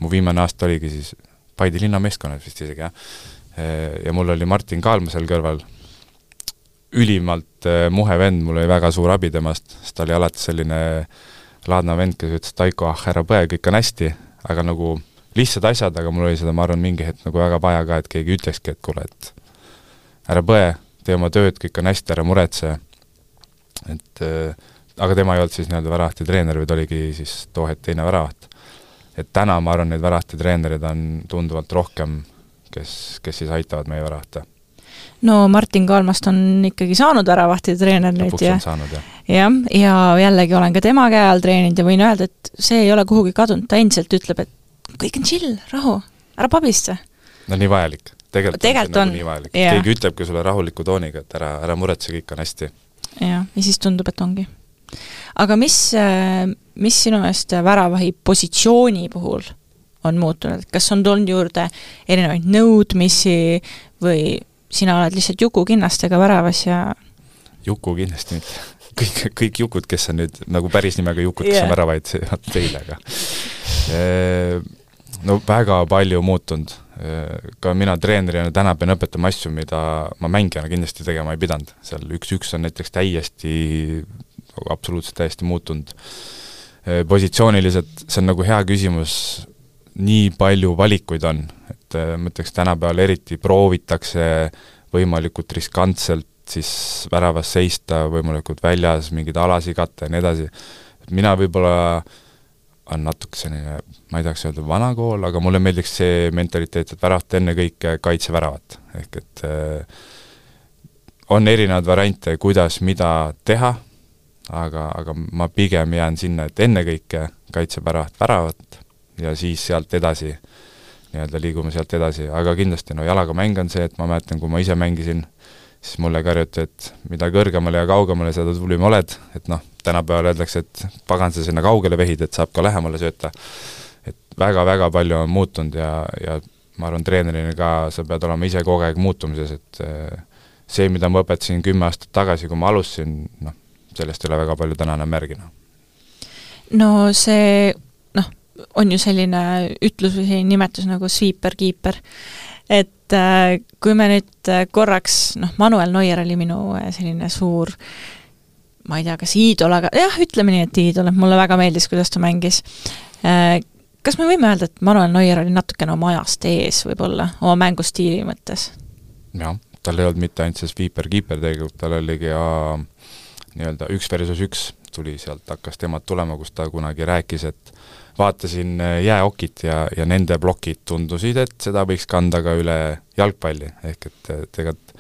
mu viimane aasta oligi siis Paide linna meeskonnad vist isegi, jah. Ja mul oli Martin Kaalma seal kõrval, ülimalt muhe vend, mul oli väga suur abi temast, sest ta oli alati selline laadna vend, kes ütles, Taiko, ah, ära põe, kõik on hästi, aga nagu lihtsad asjad, aga mul oli seda, ma arvan, mingi hetk nagu väga vaja ka, et keegi ütlekski, et kuule, et ära põe, tee oma tööd, kõik on hästi, ära muretse. Et, aga tema ei olnud siis nii-öelda väravahti treener, või ta oligi siis toohet teine väravaht. Et täna, ma arvan, need väravahti treenerid on tunduvalt rohkem, kes, kes siis aitavad meie väravahte. No Martin Kaalmast on ikkagi saanud väravahti treener nüüd ja, saanud, ja. Ja, ja jällegi olen ka tema käe all treeninud ja võin öelda, et see ei ole kuhugi kadunud, ta endiselt ütleb, et kõik on chill, rahu, ära pabista. No nii vajalik. Tegelikult, Tegelt on, on, nagu on. Keegi ütlebki sulle rahuliku tooniga, et ära, ära muretse, kõik on hästi. Ja, ja siis tundub, et ongi. Aga mis, mis sinu eest väravahi positsiooni puhul on muutunud? Kas on tulnud juurde erinevaid nõudmisi või sina oled lihtsalt Juku kinnastega väravas ja... Juku kindlasti mitte. Kõik, kõik Jukud, kes on nüüd nagu päris nimega Jukud, kes yeah. on väravaid teile, aga no väga palju muutunud. Ka mina treenerina täna pean õpetama asju, mida ma mängijana kindlasti tegema ei pidanud. Seal üks-üks on näiteks täiesti, absoluutselt täiesti muutunud. Positsiooniliselt see on nagu hea küsimus, nii palju valikuid on, et mõtleks tänapäeval eriti proovitakse võimalikult riskantselt siis väravas seista, võimalikult väljas, mingid alasigatte ja nii edasi. Mina võib-olla on natuke selline, ma ei tahaks öelda vana kool, aga mulle meeldiks see mentaliteet, et väravat enne kõike kaitse väravat. Ehk et äh, on erinevad variante, kuidas mida teha, aga, aga ma pigem jään sinna, et enne kõike kaitse väravat väravat ja siis sealt edasi, nii-öelda liigume sealt edasi, aga kindlasti no jalaga mäng on see, et ma mäletan, kui ma ise mängisin, siis mulle karjuti, et mida kõrgemale ja kaugemale seda tublim oled, et noh, tänapäeval öeldakse, et pagan sa sinna kaugele vehid, et saab ka lähemale sööta. Et väga-väga palju on muutunud ja, ja ma arvan, treenerina ka sa pead olema ise kogu aeg muutumises, et see, mida ma õpetasin kümme aastat tagasi, kui ma alustasin, noh, sellest ei ole väga palju täna enam märgina. No see, noh, on ju selline ütlus või selline nimetus nagu sweeper-keeper, et äh, kui me nüüd korraks, noh, Manuel Neuer oli minu selline suur, ma ei tea, kas iidol, aga jah, ütleme nii, et iidol, et mulle väga meeldis, kuidas ta mängis. Äh, kas me võime öelda, et Manuel Neuer oli natukene oma ajast ees võib-olla, oma mängustiili mõttes? Jah, tal ei olnud mitte ainult see sweeper-keeper tegelikult, tal oligi ja nii-öelda üks versus üks tuli sealt, hakkas temad tulema, kus ta kunagi rääkis, et vaatasin jääokit ja, ja nende blokid tundusid, et seda võiks kanda ka üle jalgpalli, ehk et tegelikult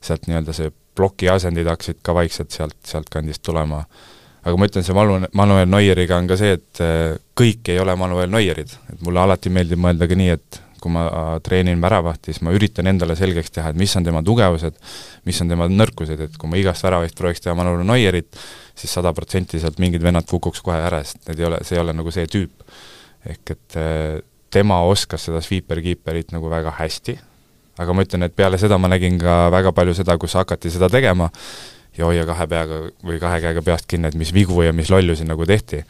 sealt nii-öelda see ploki asendid hakkasid ka vaikselt sealt, sealt kandist tulema. Aga ma ütlen, see Manuel Neueriga on ka see, et kõik ei ole Manuel Neuerid, et mulle alati meeldib mõelda ka nii, et kui ma treenin väravahti, siis ma üritan endale selgeks teha, et mis on tema tugevused, mis on tema nõrkused, et kui ma igast väravahist prooviks teha Manuel Neuerit, siis sada protsenti sealt mingid vennad kukuks kohe ära, sest need ei ole, see ei ole nagu see tüüp. Ehk et tema oskas seda sweeper-keeperit nagu väga hästi, aga ma ütlen, et peale seda ma nägin ka väga palju seda, kus hakati seda tegema ja hoia kahe peaga või kahe käega peast kinni, et mis vigu ja mis lollusi nagu tehti.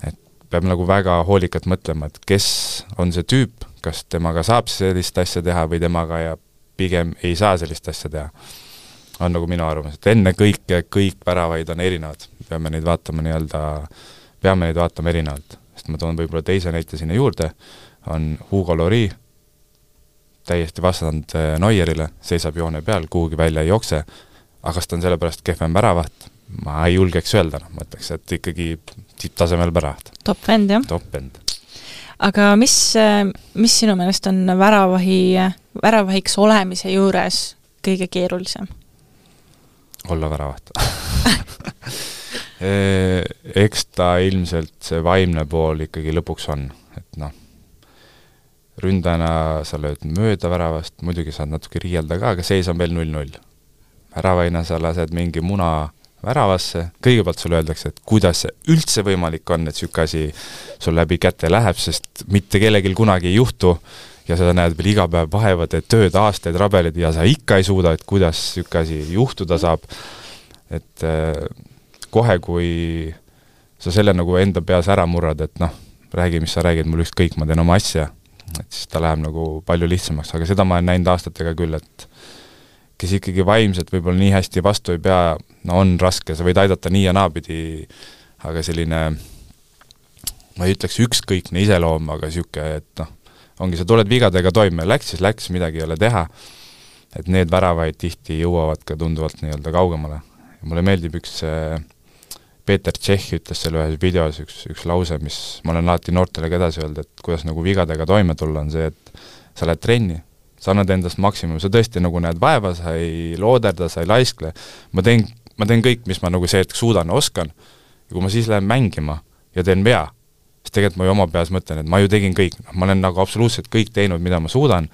Et peab nagu väga hoolikalt mõtlema, et kes on see tüüp, kas temaga saab sellist asja teha või temaga ja pigem ei saa sellist asja teha. On nagu minu arvamus, et enne kõik, kõik väravaid on erinevad. Peame neid vaatama nii-öelda, peame neid vaatama erinevalt. Sest ma toon võib-olla teise näite sinna juurde, on Hugo Lloris, täiesti vastand Neuerile, seisab joone peal, kuhugi välja ei jookse, aga kas ta on sellepärast kehvem väravaht? Ma ei julgeks öelda, no, ma ütleks, et ikkagi tipptasemel väravaht. Top end, jah? Top end. Aga mis, mis sinu meelest on väravahi, väravahiks olemise juures kõige keerulisem? Olla väravaht. Eks ta ilmselt see vaimne pool ikkagi lõpuks on, et noh, ründajana sa lööd mööda väravast, muidugi saad natuke riielda ka, aga seis on veel null null. Väravaina sa lased mingi muna väravasse, kõigepealt sulle öeldakse, et kuidas see üldse võimalik on, et sükka asi sul läbi käte läheb, sest mitte kellelgi kunagi ei juhtu ja seda näed veel iga päev vahevad, et tööd, aastaid, rabelid ja sa ikka ei suuda, et kuidas sükka asi juhtuda saab. Et äh, kohe, kui sa selle nagu enda peas ära murrad, et noh, räägi, mis sa räägid, mul ükskõik, ma teen oma asja, et siis ta läheb nagu palju lihtsamaks, aga seda ma olen näinud aastatega küll, et kes ikkagi vaimselt võib-olla nii hästi vastu ei pea, no on raske, sa võid aidata nii ja naapidi, aga selline, ma ei ütleks ükskõikne iseloom, aga siuke, et noh, ongi, sa tuled vigadega toime, läks, siis läks, midagi ei ole teha, et need väravaid tihti jõuavad ka tunduvalt nii-öelda kaugemale. Ja mulle meeldib üks Peeter Tšehh ütles selle ühes videos üks, üks lause, mis ma olen alati noortele ka edasi öelda, et kuidas nagu vigadega toime tulla on see, et sa lähed trenni, sa annad endast maksimum, sa tõesti nagu näed vaeva, sa ei looderda, sa ei laiskle, ma teen, ma teen kõik, mis ma nagu see hetk suudan, oskan, ja kui ma siis lähen mängima ja teen vea, siis tegelikult ma ju oma peas mõtlen, et ma ju tegin kõik, ma olen nagu absoluutselt kõik teinud, mida ma suudan,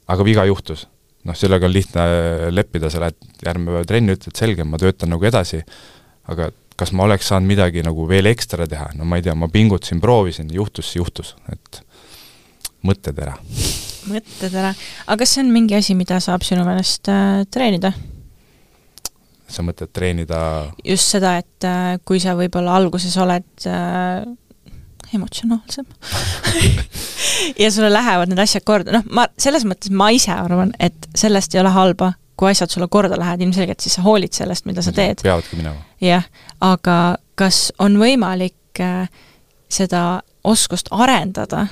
aga viga juhtus. Noh, sellega on lihtne leppida, sa lähed järgmine päev trenni, ütled selge, ma töötan nagu edasi, aga kas ma oleks saanud midagi nagu veel ekstra teha, no ma ei tea, ma pingutasin, proovisin, juhtus, juhtus, et mõtted ära. Mõtted ära. Aga kas see on mingi asi, mida saab sinu meelest äh, treenida? Sa mõtled treenida? Just seda, et äh, kui sa võib-olla alguses oled äh, emotsionaalsem ja sulle lähevad need asjad korda, noh, ma selles mõttes ma ise arvan, et sellest ei ole halba, kui asjad sulle korda lähevad, ilmselgelt siis sa hoolid sellest, mida sa teed. Peavadki minema. Jah, aga kas on võimalik äh, seda oskust arendada,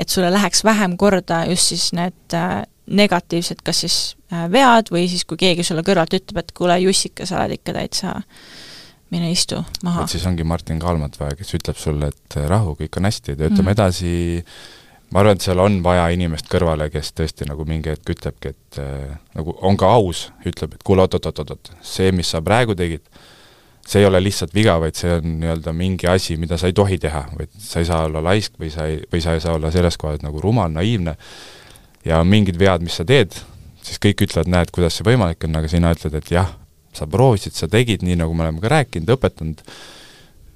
et sulle läheks vähem korda just siis need äh, negatiivsed, kas siis äh, vead või siis kui keegi sulle kõrvalt ütleb, et kuule Jussika, sa oled ikka täitsa mine istu maha. Et siis ongi Martin Kalmat vaja, kes ütleb sulle, et rahu, kõik on hästi, töötame mm. edasi. Ma arvan, et seal on vaja inimest kõrvale, kes tõesti nagu mingi hetk ütlebki, et äh, nagu on ka aus, ütleb, et kuule, oot, oot, oot, oot, see, mis sa praegu tegid, see ei ole lihtsalt viga, vaid see on nii-öelda mingi asi, mida sa ei tohi teha, vaid sa ei saa olla laisk või sa ei, või sa ei saa olla selles kohas nagu rumal, naiivne ja mingid vead, mis sa teed, siis kõik ütlevad, näed, kuidas see võimalik on, aga sina ütled, et jah, sa proovisid, sa tegid nii, nagu me oleme ka rääkinud, õpetanud,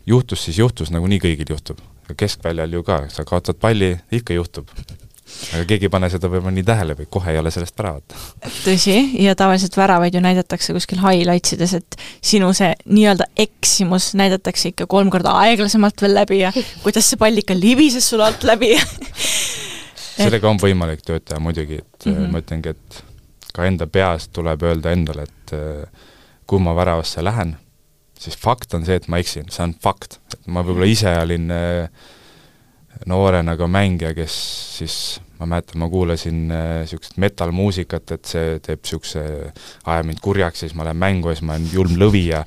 juhtus siis juhtus, nagu nii kõigil juhtub. Ja keskväljal ju ka, sa kaotad palli, ikka juhtub. Aga keegi ei pane seda võib-olla nii tähele või kohe ei ole sellest väravat. Tõsi, ja tavaliselt väravaid ju näidatakse kuskil highlightsides, et sinu see nii-öelda eksimus näidatakse ikka kolm korda aeglasemalt veel läbi ja kuidas see pall ikka libises sul alt läbi. Sellega on võimalik tööd teha muidugi, et mm -hmm. ma ütlengi, et ka enda peast tuleb öelda endale, et kui ma väravasse lähen, siis fakt on see, et ma eksin, see on fakt. Et ma võib-olla ise olin noorena ka mängija, kes siis, ma mäletan, ma kuulasin niisugust metal-muusikat, et see teeb niisuguse, ajab mind kurjaks, siis ma lähen mängu ja siis ma olen julm lõvi ja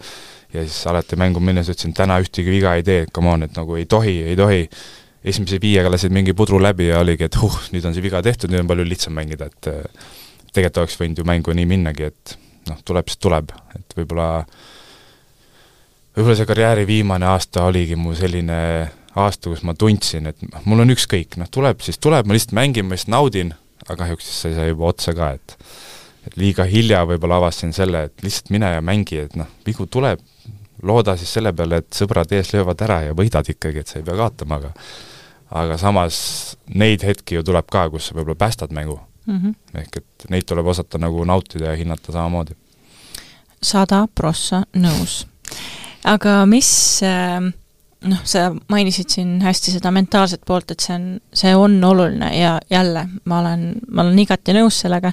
ja siis alati mängu minnes ütlesin, täna ühtegi viga ei tee, come on, et nagu ei tohi, ei tohi. Esimese viiega lasid mingi pudru läbi ja oligi, et huh, nüüd on see viga tehtud, nüüd on palju lihtsam mängida, et tegelikult oleks võinud ju mängu nii minnagi, et noh, tuleb, siis tuleb, et võib-olla võib-olla see karjääri viimane aasta oligi mu selline aasta, kus ma tundsin, et mul on ükskõik, noh tuleb, siis tuleb, ma lihtsalt mängin, ma lihtsalt naudin, aga kahjuks siis sai see juba otsa ka, et et liiga hilja võib-olla avastasin selle, et lihtsalt mine ja mängi, et noh, vigu tuleb, looda siis selle peale, et sõbrad ees löövad ära ja võidad ikkagi, et sa ei pea kaotama, aga aga samas neid hetki ju tuleb ka, kus sa võib-olla päästad mängu. Mm -hmm. Ehk et neid tuleb osata nagu nautida ja hinnata samamoodi. Sada prossa nõus. Aga mis, noh, sa mainisid siin hästi seda mentaalset poolt, et see on, see on oluline ja jälle, ma olen, ma olen igati nõus sellega,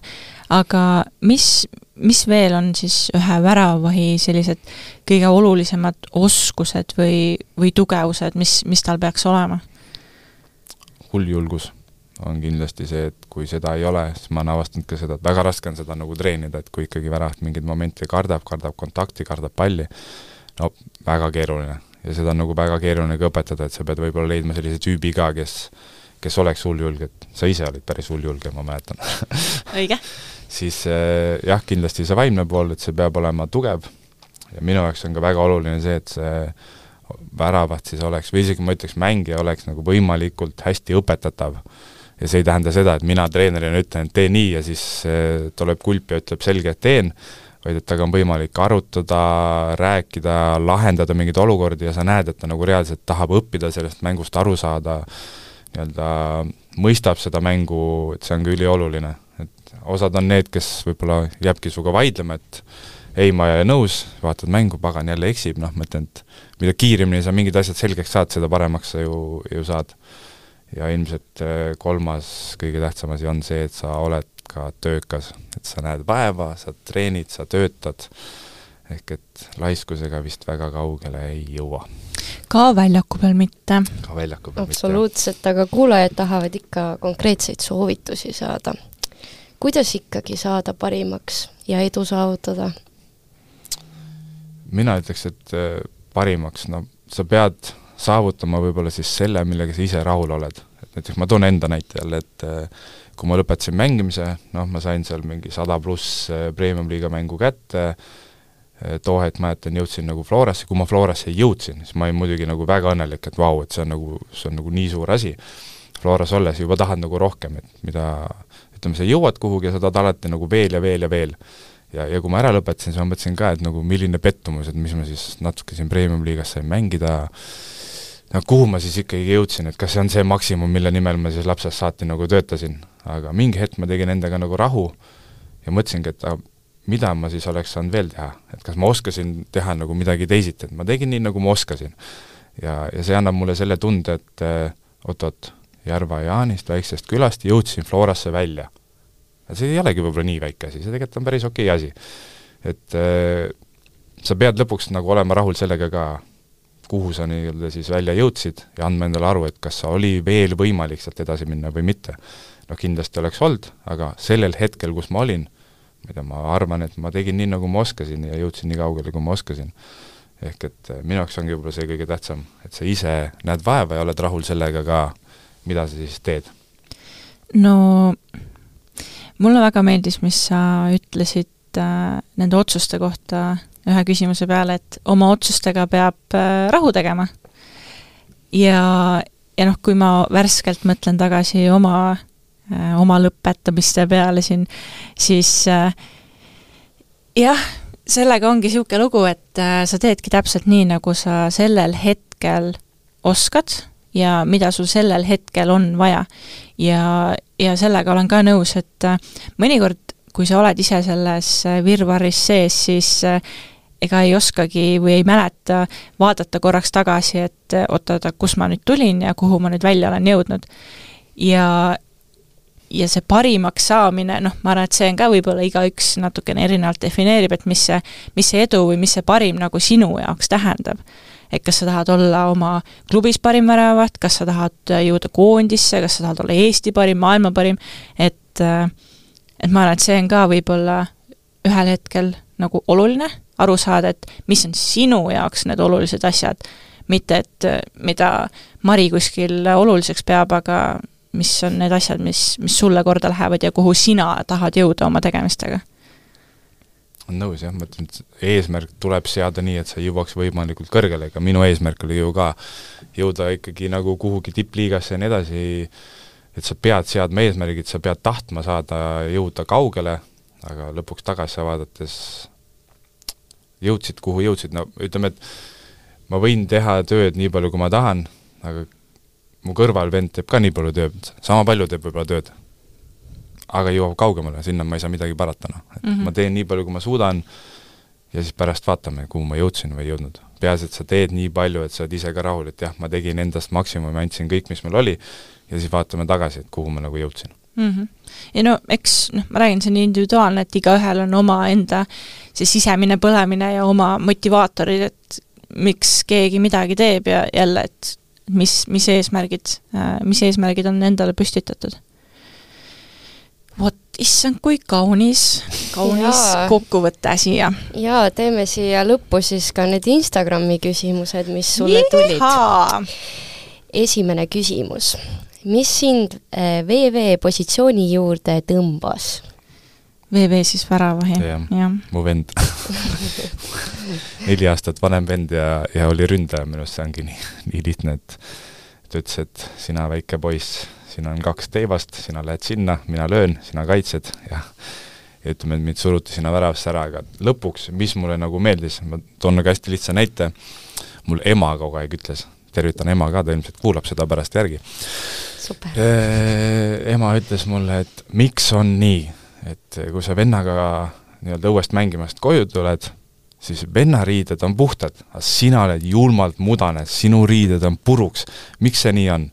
aga mis, mis veel on siis ühe väravahi sellised kõige olulisemad oskused või, või tugevused, mis, mis tal peaks olema? Hulljulgus on kindlasti see, et kui seda ei ole, siis ma olen avastanud ka seda, et väga raske on seda nagu treenida, et kui ikkagi väravat mingid momente kardab, kardab kontakti, kardab palli, no väga keeruline. Ja seda on nagu väga keeruline ka õpetada, et sa pead võib-olla leidma sellise tüübi ka, kes, kes oleks hulljulge, et sa ise olid päris hulljulge, ma mäletan. Õige. Siis jah, kindlasti see vaimne pool, et see peab olema tugev ja minu jaoks on ka väga oluline see, et see väravat siis oleks, või isegi ma ütleks, mängija oleks nagu võimalikult hästi õpetatav. Ja see ei tähenda seda, et mina treenerina ütlen, et tee nii ja siis tuleb kulp ja ütleb selge, et teen, vaid et taga on võimalik arutada, rääkida, lahendada mingeid olukordi ja sa näed, et ta nagu reaalselt tahab õppida sellest mängust aru saada, nii-öelda mõistab seda mängu, et see on ka ülioluline. Et osad on need, kes võib-olla jääbki suga vaidlema, et ei, ma ei ole nõus, vaatad mängu, pagan jälle eksib, noh, ma ütlen, et mida kiiremini sa mingid asjad selgeks saad, seda paremaks sa ju, ju saad. Ja ilmselt kolmas kõige tähtsam asi on see, et sa oled ka töökas, et sa näed vaeva, sa treenid, sa töötad, ehk et laiskusega vist väga kaugele ei jõua. Ka väljaku peal mitte. Ka väljaku peal mitte. Absoluutselt, aga kuulajad tahavad ikka konkreetseid soovitusi saada. Kuidas ikkagi saada parimaks ja edu saavutada? Mina ütleks, et parimaks, no sa pead saavutama võib-olla siis selle, millega sa ise rahul oled. Et näiteks ma toon enda näite jälle, et kui ma lõpetasin mängimise, noh, ma sain seal mingi sada pluss Premium-liiga mängu kätte, too hetk mäletan, jõudsin nagu Florasse, kui ma Florasse jõudsin, siis ma olin muidugi nagu väga õnnelik, et vau, et see on nagu, see on nagu nii suur asi. Floras olles juba tahad nagu rohkem, et mida, ütleme, sa jõuad kuhugi ja sa tahad alati nagu veel ja veel ja veel. Ja, ja kui ma ära lõpetasin, siis ma mõtlesin ka, et nagu milline pettumus, et mis ma siis natuke siin Premium-liigas sain mängida, no kuhu ma siis ikkagi jõudsin, et kas see on see maksimum, mille nimel ma siis lapsest saati nagu töötasin. Aga mingi hetk ma tegin endaga nagu rahu ja mõtlesingi, et ah, mida ma siis oleks saanud veel teha, et kas ma oskasin teha nagu midagi teisiti, et ma tegin nii, nagu ma oskasin. Ja, ja see annab mulle selle tunde, et oot-oot, Järva Jaanist, väiksest külast, jõudsin Florasse välja. See ei olegi võib-olla nii väike asi, see tegelikult on päris okei asi. Et äh, sa pead lõpuks nagu olema rahul sellega ka, kuhu sa nii-öelda siis välja jõudsid ja andma endale aru, et kas sa oli veel võimalik sealt edasi minna või mitte. No kindlasti oleks olnud, aga sellel hetkel, kus ma olin, mida ma arvan, et ma tegin nii, nagu ma oskasin ja jõudsin nii kaugele, kui ma oskasin. Ehk et minu jaoks ongi võib-olla see kõige tähtsam, et sa ise näed vaeva ja oled rahul sellega ka, mida sa siis teed. No mulle väga meeldis, mis sa ütlesid äh, nende otsuste kohta, ühe küsimuse peale, et oma otsustega peab rahu tegema. Ja, ja noh, kui ma värskelt mõtlen tagasi oma, oma lõpetamiste peale siin, siis jah, sellega ongi siuke lugu, et sa teedki täpselt nii, nagu sa sellel hetkel oskad ja mida sul sellel hetkel on vaja. Ja, ja sellega olen ka nõus, et mõnikord, kui sa oled ise selles virvarris sees, siis ega ei oskagi või ei mäleta vaadata korraks tagasi, et oota, kus ma nüüd tulin ja kuhu ma nüüd välja olen jõudnud. Ja, ja see parimaks saamine, noh, ma arvan, et see on ka võib-olla igaüks natukene erinevalt defineerib, et mis see, mis see edu või mis see parim nagu sinu jaoks tähendab. Et kas sa tahad olla oma klubis parim väravat, kas sa tahad jõuda koondisse, kas sa tahad olla Eesti parim, maailma parim, et, et ma arvan, et see on ka võib-olla ühel hetkel nagu oluline aru saada, et mis on sinu jaoks need olulised asjad, mitte et mida Mari kuskil oluliseks peab, aga mis on need asjad, mis, mis sulle korda lähevad ja kuhu sina tahad jõuda oma tegemistega. On nõus, jah, ma ütlen, et eesmärk tuleb seada nii, et sa jõuaks võimalikult kõrgele, aga minu eesmärk oli ju ka jõuda ikkagi nagu kuhugi tippliigasse ja nii edasi, et sa pead seadma eesmärgid, sa pead tahtma saada jõuda kaugele, aga lõpuks tagasi vaadates jõudsid, kuhu jõudsid, no ütleme, et ma võin teha tööd nii palju, kui ma tahan, aga mu kõrval vend teeb ka nii palju tööd, sama palju teeb võib-olla tööd, aga jõuab kaugemale, sinna ma ei saa midagi parata, no. Et mm-hmm. ma teen nii palju, kui ma suudan ja siis pärast vaatame, kuhu ma jõudsin või jõudnud. Peas, et sa teed nii palju, et sa oled ise ka rahul, et jah, ma tegin endast maksimumi, andsin kõik, mis meil oli ja siis vaatame tagasi, et kuhu ma nagu jõudsin. Mm-hmm. Ja no, eks, noh, ma räägin, see on individuaalne, et igaühel on oma enda see sisemine põlemine ja oma motivaatorid, et miks keegi midagi teeb ja jälle, et mis, mis eesmärgid, mis eesmärgid on endale püstitatud. Vot, issand, kui kaunis, kaunis Jaa. Kokkuvõtte siia. Jaa, teeme siia lõppu siis ka need Instagrami küsimused, mis sulle tulid. Jihaa! Esimene küsimus. Mis sind V V positsiooni juurde tõmbas? V V siis väravahi. jah, ja. Mu vend. Neli aastat vanem vend ja, ja oli ründaja, minust see ongi nii, nii lihtne, et ta ütles, et sina väike poiss, siin on kaks teivast, sina lähed sinna, mina löön, sina kaitsed ja, ja ütleme, et mind suruti sinna väravasse ära, aga lõpuks, mis mulle nagu meeldis, ma toon nagu hästi lihtsa näite, mul ema kogu aeg ütles, tervitan ema ka, ta ilmselt kuulab seda pärast järgi. Super. Ema ütles mulle, et miks on nii, et kui sa vennaga nii-öelda õuest mängimast koju tuled, siis vennariided on puhtad, aga sina oled julmalt mudane, sinu riided on puruks. Miks see nii on?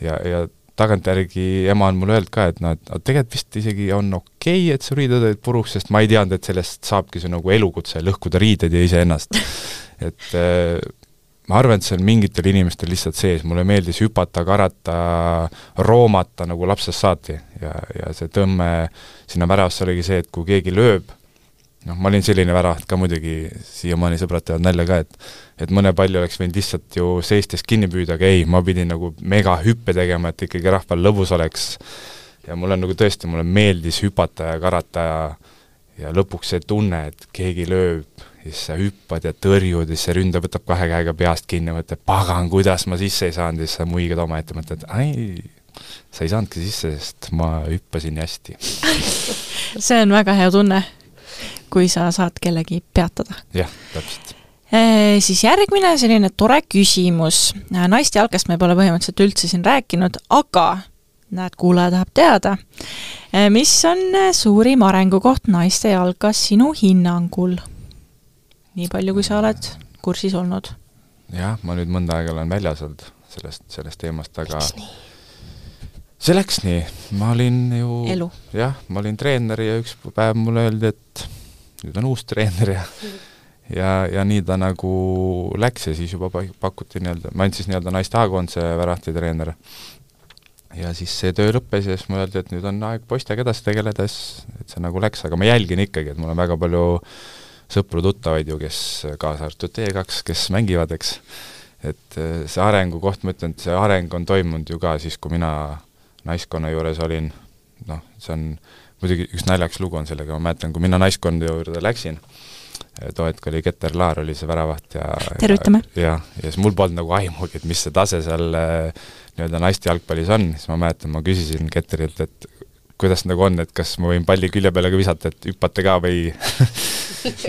Ja, ja tagantjärgi ema on mulle öelnud ka, et no, et tegelikult vist isegi on okei, et su riided olid puruks, sest ma ei teadnud, et sellest saabki see nagu elukutse, lõhkuda riided ja ise ennast. Et äh, ma arvan, et see on mingitel inimestel lihtsalt sees, mulle meeldis hüpata, karata, roomata nagu lapsest saati ja, ja see tõmme sinna väravasse oligi see, et kui keegi lööb, noh, ma olin selline väravat ka muidugi, siiamaani sõbrad teevad nälja ka, et et mõne palli oleks võinud lihtsalt ju seistes kinni püüda, aga ei, ma pidin nagu mega hüppe tegema, et ikkagi rahval lõbus oleks. Ja mulle nagu tõesti, mulle meeldis hüpata ja karata ja, ja lõpuks see tunne, et keegi lööb, siis sa hüppad ja tõrjud, siis see ründa võtab kahe käega peast kinni, mõtled, pagan, kuidas ma sisse ei saanud, siis sa muigad oma ette, mõtled, ai, sa ei saanudki sisse, sest ma hüppasin nii hästi. See on väga hea tunne, kui sa saad kellegi peatada. Jah, täpselt. E, siis järgmine selline tore küsimus. Naiste jalkast me pole põhimõtteliselt üldse siin rääkinud, aga näed, kuulaja tahab teada. E, mis on suurim arengukoht naiste jalkas sinu hinnangul? Nii palju, kui sa oled kursis olnud. Jah, ma nüüd mõnda aega olen väljas olnud sellest, sellest teemast, aga Läks nii. see läks nii. Ma olin ju... Elu. Jah, ma olin treener ja üks päev mulle öeldi, et nüüd on uus treener ja ja, ja nii ta nagu läks ja siis juba pakuti nii-öelda, ma olin siis nii-öelda naiste A-koondise värahti treener. Ja siis see töö lõppes ja siis ma öeldi, et nüüd on aeg poistega edasi tegeledes, et see nagu läks, aga ma jälgin ikkagi, et mul on väga palju sõpru tuttavaid ju, kes kaasa arvatud T kaks, kes mängivad, eks. Et see arengu koht, ma ütlen, et see areng on toimunud ju ka siis, kui mina naiskonna juures olin, noh, see on muidugi üks naljaks lugu on sellega, ma mäletan, kui mina naiskonda juurde läksin, too hetk oli Keter Laar, oli see väravaht ja tervitame! Ja, ja siis mul polnud nagu aimugi, et mis see tase seal nii-öelda naiste jalgpallis on, siis ma mäletan, ma küsisin Keterilt, et kuidas nagu on, et kas ma võin palli külje peale ka visata, et hüppate ka või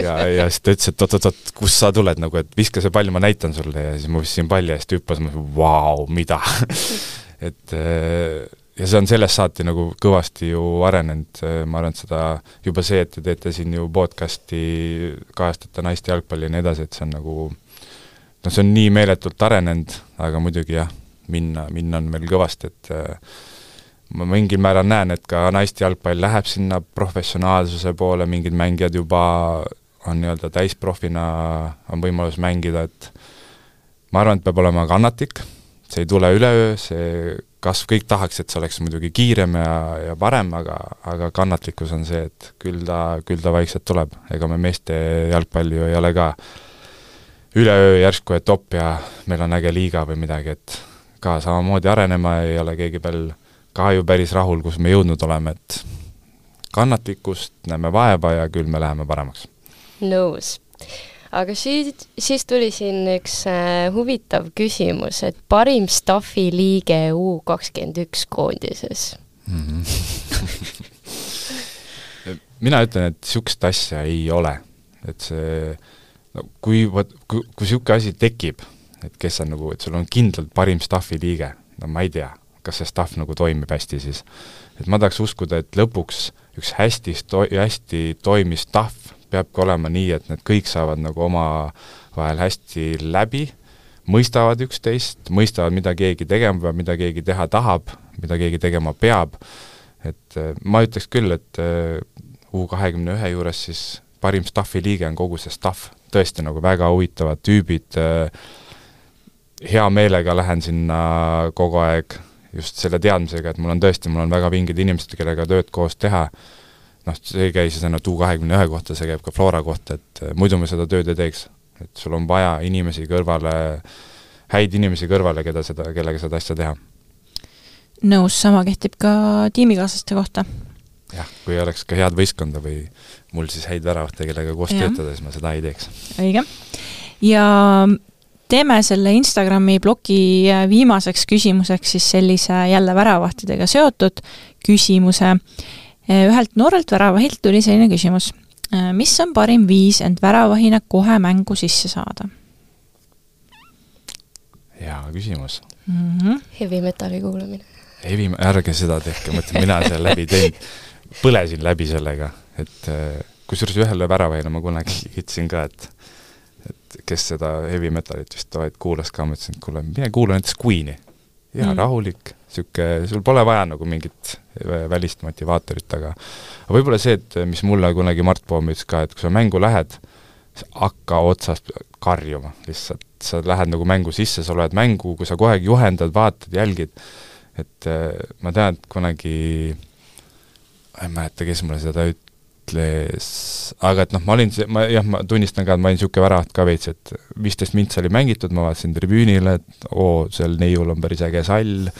ja, ja siis ta ütles, et oot-oot-oot, kus sa tuled nagu, et viska see pall, ma näitan sulle ja siis ma viskasin palli ja siis ta hüppas, ma ütlesin, vau, mida et ja see on sellest saati nagu kõvasti ju arenenud, ma arvan, et seda juba see, et te teete siin ju podcasti, kajastate naiste jalgpalli ja nii edasi, et see on nagu no see on nii meeletult arenenud, aga muidugi jah, minna, minna on veel kõvasti, et ma mingil määral näen, et ka naiste jalgpall läheb sinna professionaalsuse poole, mingid mängijad juba on nii-öelda täisprofina, on võimalus mängida, et ma arvan, et peab olema kannatlik, see ei tule üleöö, see kasv kõik tahaks, et see oleks muidugi kiirem ja, ja parem, aga, aga kannatlikkus on see, et küll ta, küll ta vaikselt tuleb. Ega me meeste jalgpalli ju ei ole ka üleöö järsku, et op ja meil on äge liiga või midagi, et ka samamoodi arenema ei ole keegi veel ka ju päris rahul, kus me jõudnud oleme, et kannatlikkust näeme vaeva ja küll me läheme paremaks. Nõus. Aga siis, siis tuli siin üks äh, huvitav küsimus, et parim staffi liige U kakskümmend üks koondises. Mm-hmm. Mina ütlen, et sükst asja ei ole. Et see, no, kui, kui, kui süke asi tekib, et kes on nagu, et sul on kindlalt parim staffi liige, no ma ei tea, kas see staff nagu toimib hästi siis. Et ma tahaks uskuda, et lõpuks üks hästi, sto- hästi toimis staff peabki olema nii, et need kõik saavad nagu oma vahel hästi läbi, mõistavad üksteist, mõistavad, mida keegi tegema peab, mida keegi teha tahab, mida keegi tegema peab. Et ma ütleks küll, et U kahekümne ühe juures siis parim staffi liige on kogu see staff. Tõesti nagu väga huvitavad tüübid. Hea meelega lähen sinna kogu aeg just selle teadmisega, et mul on tõesti, mul on väga vingid inimesed, kellega tööd koos teha. Noh, see ei käi siis ainult U kahekümne ühe kohta, see käib ka Flora kohta, et muidu me seda tööd ei teeks. Et sul on vaja inimesi kõrvale, häid inimesi kõrvale, keda seda, kellega seda asja teha. Nõus, sama kehtib ka tiimikaaslaste kohta. Jah, kui oleks ka head võistkonda või mul siis häid väravahte, kellega koos ja. Töötada, siis ma seda ei teeks. Õige. Ja teeme selle Instagrami blogi viimaseks küsimuseks siis sellise jälle väravahtidega seotud küsimuse. Ühelt noorelt väravahilt tuli selline küsimus. Mis on parim viis end väravahina kohe mängu sisse saada? Hea küsimus. Mm-hmm. Heavy metali kuulamine. Heavy, ärge seda tehke, mõtlen, mina seal läbi tein, põlesin läbi sellega, et kusjuures ühele väravahina ma kunagi ütlesin ka, et, et kes seda heavy metalit vist vaid kuulas ka, ma ütlesin, et kuule, mine kuula näiteks Queen'i. Ja mm. rahulik, süke, sul pole vaja nagu mingit välist motivaatorit, aga võib-olla see, et mis mulle kunagi Mart Poom ütles ka, et kui sa mängu lähed, hakka otsast karjuma lihtsalt, sa lähed nagu mängu sisse, sa oled mängu, kui sa kohe juhendad, vaatad, jälgid, et ma tean, et kunagi ma ei mäleta, kes mulle seda ütles, aga et noh, ma olin, ma, jah, ma tunnistan ka, et ma olin niisugune väravaht ka veits, et viisteist mintsa oli mängitud, ma vaatasin tribüünile, et oo, seal neiul on päris äge sall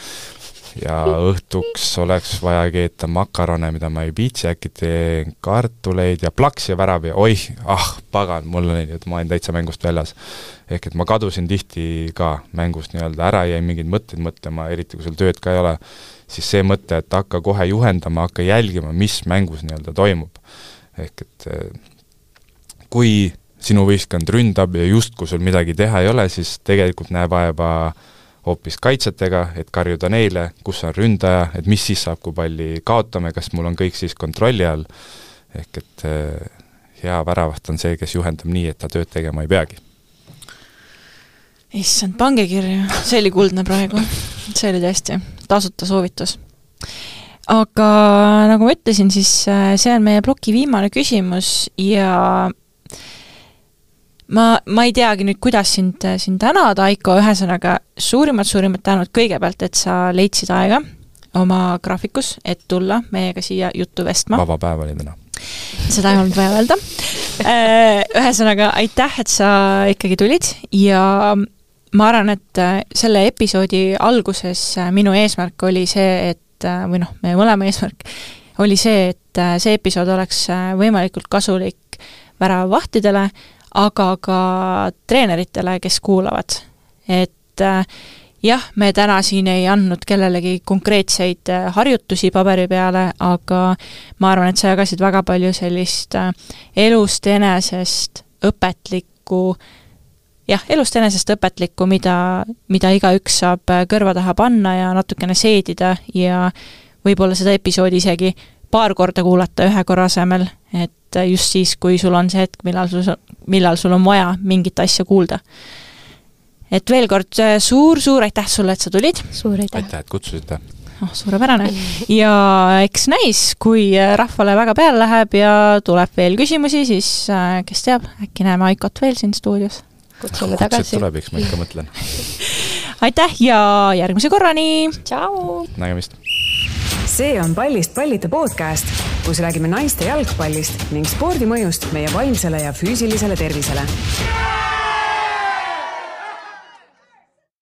ja õhtuks oleks vaja keeta makarone, mida ma ei viitsi, äkki teen kartuleid ja plaks ja värav ja oih, ah, pagan, mul oli, et ma olin täitsa mängust väljas. Ehk et ma kadusin tihti ka mängust nii-öelda ära, jäi mingeid mõtteid mõtlema, eriti kui sul tööd ka ei ole, siis see mõte, et hakka kohe juhendama, hakka jälgima, mis mängus nii-öelda toimub. Ehk et kui sinu võistkond ründab ja just kui sul midagi teha ei ole, siis tegelikult näe vaeva hoopis kaitsetega, et karjuda neile, kus on ründaja, et mis siis saab, kui palli kaotame, kas mul on kõik siis kontrolli all. Ehk et hea väravaht on see, kes juhendab nii, et ta tööd tegema ei peagi. Issand, pange kirja, see oli kuldne praegu, see oli tõesti tasuta soovitus. Aga nagu ma ütlesin, siis see on meie bloki viimane küsimus ja ma, ma ei teagi nüüd, kuidas sind, sind tänada, Aiko, ühesõnaga suurimad, suurimad tänud kõigepealt, et sa leidsid aega oma graafikus, et tulla meiega siia juttu vestma. Vaba päev oli täna. Seda ei olnud vaja öelda. Ühesõnaga, aitäh, et sa ikkagi tulid ja ma arvan, et selle episoodi alguses minu eesmärk oli see, et või noh, meie mõlema eesmärk oli see, et see episood oleks võimalikult kasulik väravavahtidele, aga ka treeneritele, kes kuulavad. Et jah, me täna siin ei andnud kellelegi konkreetseid harjutusi paberi peale, aga ma arvan, et sa jagasid väga palju sellist elust enesest õpetlikku, jah, elust enesest õpetlikku, mida, mida igaüks saab kõrva taha panna ja natukene seedida ja võib-olla seda episoodi isegi paar korda kuulata ühe korra asemel, et just siis, kui sul on see hetk, millal sul, millal sul on vaja mingit asja kuulda. Et veel kord suur-suur aitäh sulle, et sa tulid. Suur aitäh. Aitäh, et kutsusite. Oh, suurepärane. Ja eks näis, kui rahvale väga peale läheb ja tuleb veel küsimusi, siis kes teab, äkki näeme Aikot veel siin stuudios. Kutsume tagasi. Kutset tuleb, eks ma ikka mõtlen. Aitäh ja järgmise korrani! Tšau! Nägemist! See on Pallist pallita podcast, kus räägime naiste jalgpallist ning spordi mõjust meie vaimsele ja füüsilisele tervisele.